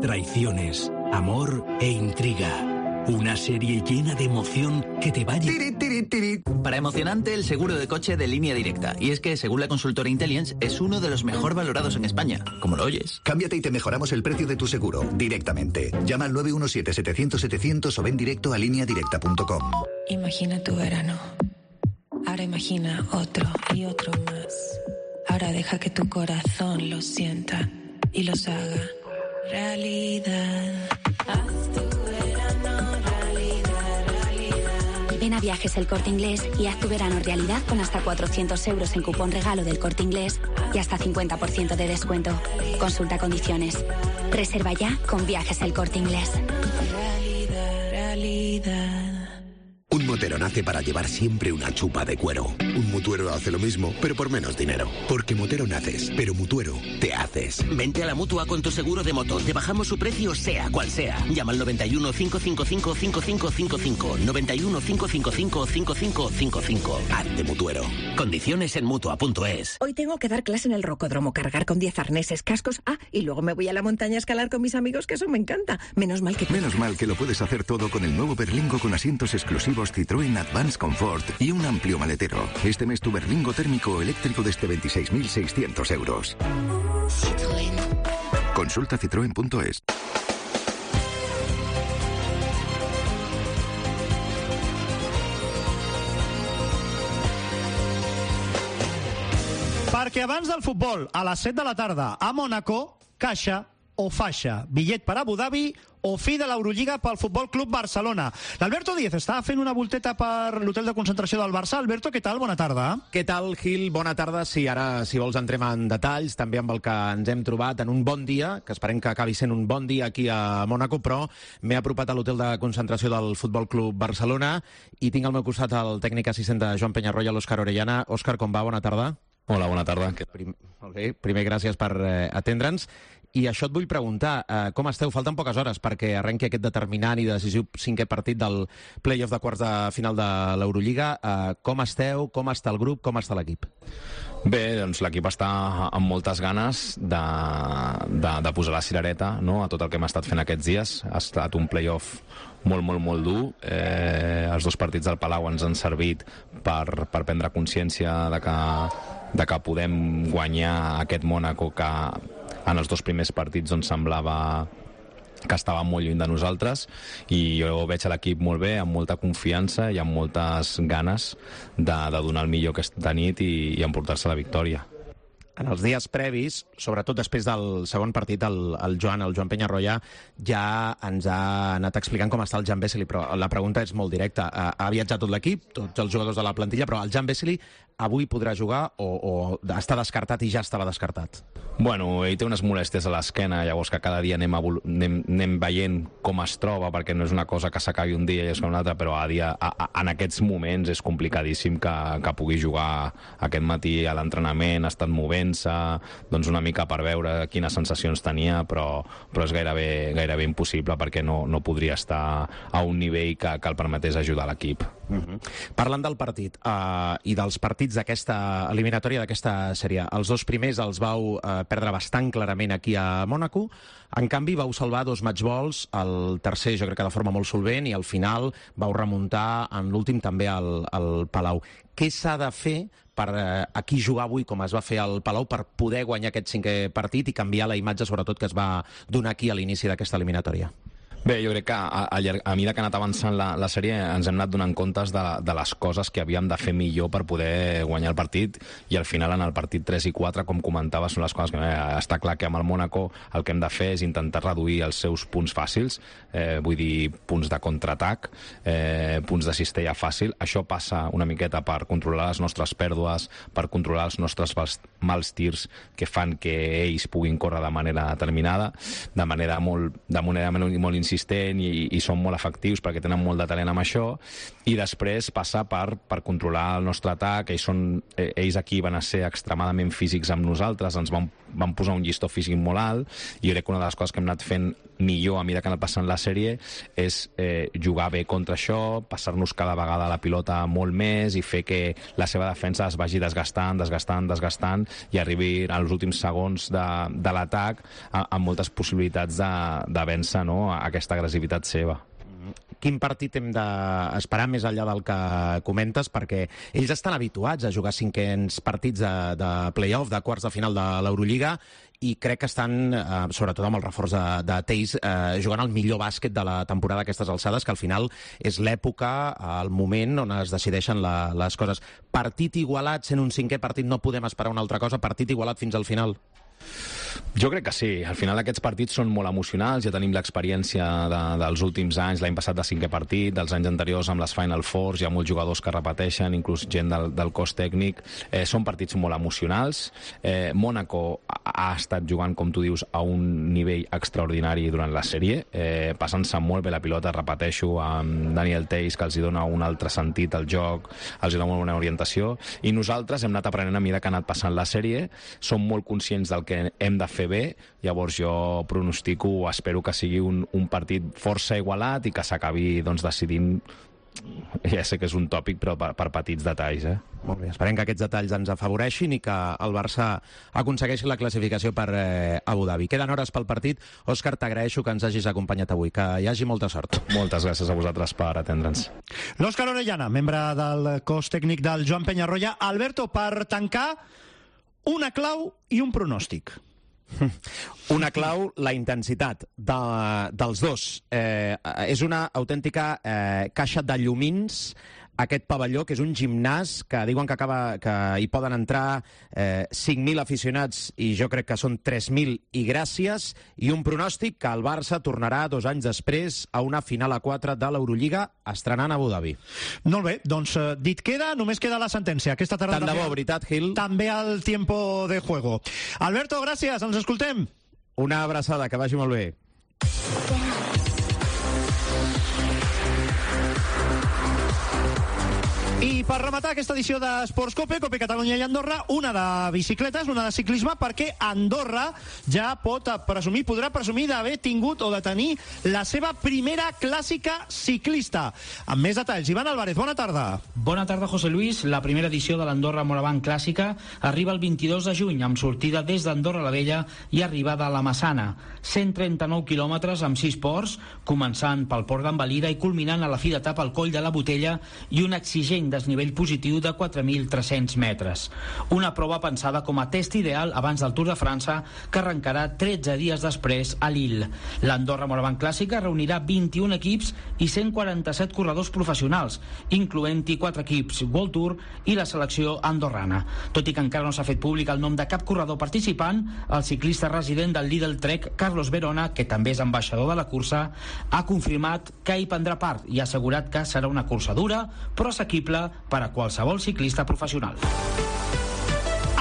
Traiciones, amor e intriga. Una serie llena de emoción que te va a... Para emocionante, el seguro de coche de Línea Directa. Y es que, según la consultora Intellience, es uno de los mejor valorados en España. Como lo oyes. Cámbiate y te mejoramos el precio de tu seguro directamente. Llama al 917-700-700 o ven directo a lineadirecta.com. Imagina tu verano. Ahora imagina otro y otro más. Ahora deja que tu corazón lo sienta y los haga realidad. Haz tu verano realidad, realidad. Ven a Viajes El Corte Inglés y haz tu verano realidad con hasta 400 euros en cupón regalo del Corte Inglés y hasta 50% de descuento. Consulta condiciones. Reserva ya con Viajes El Corte Inglés. Realidad, realidad. Un motero nace para llevar siempre una chupa de cuero. Un mutuero hace lo mismo, pero por menos dinero. Porque motero naces, pero mutuero te haces. Vente a la Mutua con tu seguro de moto. Te bajamos su precio sea cual sea. Llama al 91 555 5555. 91 555 5555. Hazte mutuero. Condiciones en Mutua.es. Hoy tengo que dar clase en el rocódromo, cargar con 10 arneses, cascos. Y luego me voy a la montaña a escalar con mis amigos, que eso me encanta. Menos mal que lo puedes hacer todo con el nuevo Berlingo con asientos exclusivos Citroën Advance Comfort y un amplio maletero. Este mes tu Berlingo térmico o eléctrico desde 26.600 euros. Citroën. Consulta citroen.es. Perquè abans del futbol, a les 7 de la tarda, a Mònaco, caixa o faixa, bitllet per Abu Dhabi o fi de l'Eurolliga pel Futbol Club Barcelona. L'Alberto Díez està fent una volteta per l'hotel de concentració del Barça. Alberto, què tal? Bona tarda. Què tal, Gil? Bona tarda. Sí, ara, si vols, entrem en detalls, també amb el que ens hem trobat en un bon dia, que esperem que acabi sent un bon dia aquí a Mònaco, però m'he apropat a l'hotel de concentració del Futbol Club Barcelona i tinc al meu costat el tècnic assistent de Joan Penyarroia, l'Òscar Orellana. Òscar, com va? Bona tarda. Hola, bona tarda. Molt bé, primer gràcies per atendre'ns. I això et vull preguntar, com esteu? Falten poques hores perquè arrenqui aquest determinant i decisiu 5è partit del play-off de quarts de final de l'Eurolliga. Com esteu? Com està el grup? Com està l'equip? Bé, doncs l'equip està amb moltes ganes de posar la cirereta, no?, a tot el que hem estat fent aquests dies. Ha estat un play-off molt dur. Els 2 partits del Palau ens han servit per prendre consciència de que podem guanyar aquest Mònaco que en els 2 primers partits doncs semblava que estava molt lluny de nosaltres, i jo veig a l'equip molt bé, amb molta confiança i amb moltes ganes de donar el millor aquesta nit i emportar-se la victòria. En els dies previs, sobretot després del segon partit, el Joan Penyarroia ja ens ha anat explicant com està el Jan Vesely, però la pregunta és molt directa. Ha viatjat tot l'equip, tots els jugadors de la plantilla, però el Jan Vesely avui podrà jugar o està descartat i ja estava descartat? Bueno, ell té unes molèsties a l'esquena, llavors que cada dia anem veient com es troba, perquè no és una cosa que s'acabi un dia i és com un altre, però en aquests moments és complicadíssim que pugui jugar aquest matí a l'entrenament, ha estat movent-se, doncs una mica per veure quines sensacions tenia, però és gairebé impossible perquè no podria estar a un nivell que el permetés ajudar l'equip. Parlant del partit i dels partits d'aquesta eliminatòria, d'aquesta sèrie, els dos primers els vau perdre bastant clarament aquí a Mònaco, en canvi vau salvar 2 matchballs, el tercer jo crec que de forma molt solvent, i al final vau remuntar en l'últim també al Palau. Què s'ha de fer per aquí jugar avui com es va fer al Palau per poder guanyar aquest 5è partit i canviar la imatge sobretot que es va donar aquí a l'inici d'aquesta eliminatòria? Bé, jo crec que a mesura que ha anat avançant la sèrie ens hem anat donant comptes de les coses que havíem de fer millor per poder guanyar el partit, i al final en el partit 3 i 4, com comentava, són les coses que està clar que amb el Mónaco el que hem de fer és intentar reduir els seus punts fàcils, vull dir, punts de contraatac, punts de cistella fàcil. Això passa una miqueta per controlar les nostres pèrdues, per controlar els nostres mals tirs que fan que ells puguin córrer de manera determinada, de manera molt insistent, i són molt efectius perquè tenen molt de talent amb això, i després passa per controlar el nostre atac. Ells aquí van ser extremadament físics amb nosaltres, ens van posar un llistó físic molt alt, i jo crec que una de les coses que hem anat fent millor a mesura que ha anat passant la sèrie és jugar bé contra això, passar-nos cada vegada la pilota molt més i fer que la seva defensa es vagi desgastant i arribi als últims segons de l'atac amb moltes possibilitats de vèncer, no?, aquesta agressivitat seva. Quin partit hem d'esperar més enllà del que comentes? Perquè ells estan habituats a jugar 5è partits de play-off, de quarts de final de l'Eurolliga, i crec que estan, sobretot amb el reforç de Teis, jugant el millor bàsquet de la temporada a aquestes alçades, que al final és l'època, el moment on es decideixen les coses. Partit igualat, sent un 5è partit, no podem esperar una altra cosa? Partit igualat fins al final? Jo crec que sí. Al final aquests partits són molt emocionals, ja tenim l'experiència dels últims anys, l'any passat de 5è partit, dels anys anteriors amb les Final Fours, hi ha molts jugadors que repeteixen, inclús gent del cos tècnic. Són partits molt emocionals. Mónaco ha estat jugant, com tu dius, a un nivell extraordinari durant la sèrie, passant-se molt bé la pilota, repeteixo, amb Daniel Theis, que els hi dona un altre sentit al joc, els hi dona una orientació, i nosaltres hem anat aprenent a mesura que ha anat passant la sèrie, som molt conscients del que hem de fer bé, llavors jo pronostico, espero que sigui un partit força igualat i que s'acabi decidint, ja sé que és un tòpic, però per petits detalls. Molt bé, esperem que aquests detalls ens afavoreixin i que el Barça aconsegueixi la classificació per Abu Dhabi. Queden hores pel partit. Òscar, t'agraeixo que ens hagis acompanyat avui, que hi hagi molta sort. Moltes gràcies a vosaltres per atendre'ns. L'Òscar Orellana, membre del cos tècnic del Joan Penyarroia. Alberto, per tancar, una clau i un pronòstic. Una clau, la intensitat dels dos. És una autèntica caixa de llumins aquest pavelló, que és un gimnàs que diuen que hi poden entrar 5.000 aficionats, i jo crec que són 3.000 i gràcies, i un pronòstic que el Barça tornarà 2 anys després a una final a 4 de l'Eurolliga, estrenant a Abu Dhabi. Molt bé, doncs dit queda, només queda la sentència. Aquesta tarda tant de bo, veritat, Gil? També al tiempo de juego. Alberto, gràcies, ens escoltem. Una abraçada, que vagi molt bé. I per rematar aquesta edició d'Esports Cope Catalunya i Andorra, una de bicicletes, una de ciclisme, perquè Andorra ja podrà presumir d'haver tingut o de tenir la seva primera clàssica ciclista. Amb més detalls, Ivan Álvarez, bona tarda. Bona tarda, José Luis. La primera edició de l'Andorra Moravant Clàssica arriba el 22 de juny, amb sortida des d'Andorra la Vella i arribada a la Massana. 139 quilòmetres amb 6 ports, començant pel port d'Envalira i culminant a la fi d'etapa al Coll de la Botella i un exigent desnivell positiu de 4.300 metres. Una prova pensada com a test ideal abans del Tour de França, que arrencarà 13 dies després a Lille. L'Andorra Moravant Clàssica reunirà 21 equips i 147 corredors professionals, incloent-hi 4 equips World Tour i la selecció andorrana. Tot i que encara no s'ha fet públic el nom de cap corredor participant, el ciclista resident del Lidl Trek, Carlos Verona, que també és ambaixador de la cursa, ha confirmat que hi prendrà part i ha assegurat que serà una cursa dura, però assequible, per a qualsevol ciclista professional.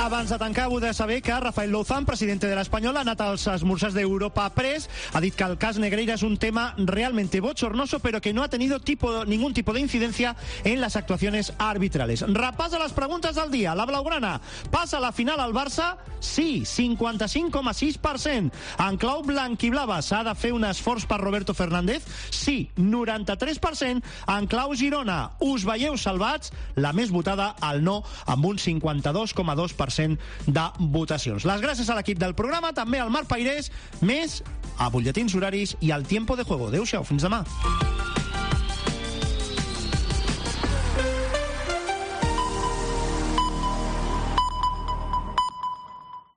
Abans de tancar, vull saber que Rafael Louzán, presidente de l'Espanyol, ha anat als esmorzars d'Europa Press, ha dit que el cas Negreira es un tema realmente bochornoso, pero que no ha tenido ningún tipo de incidencia en las actuaciones arbitrales. Repasa les preguntes del dia. La blaugrana passa a la final al Barça? Sí, 55,6%. En clau blanquiblava s'ha de fer un esforç per Roberto Fernández? Sí, 93%. En clau Girona, us veieu salvats? La més votada, el no, amb un 52,2% de votacions. Les gràcies a l'equip del programa, també al Marc Pairés, més a butlletins horaris i al Tiempo de Juego. Adéu-siau, fins demà.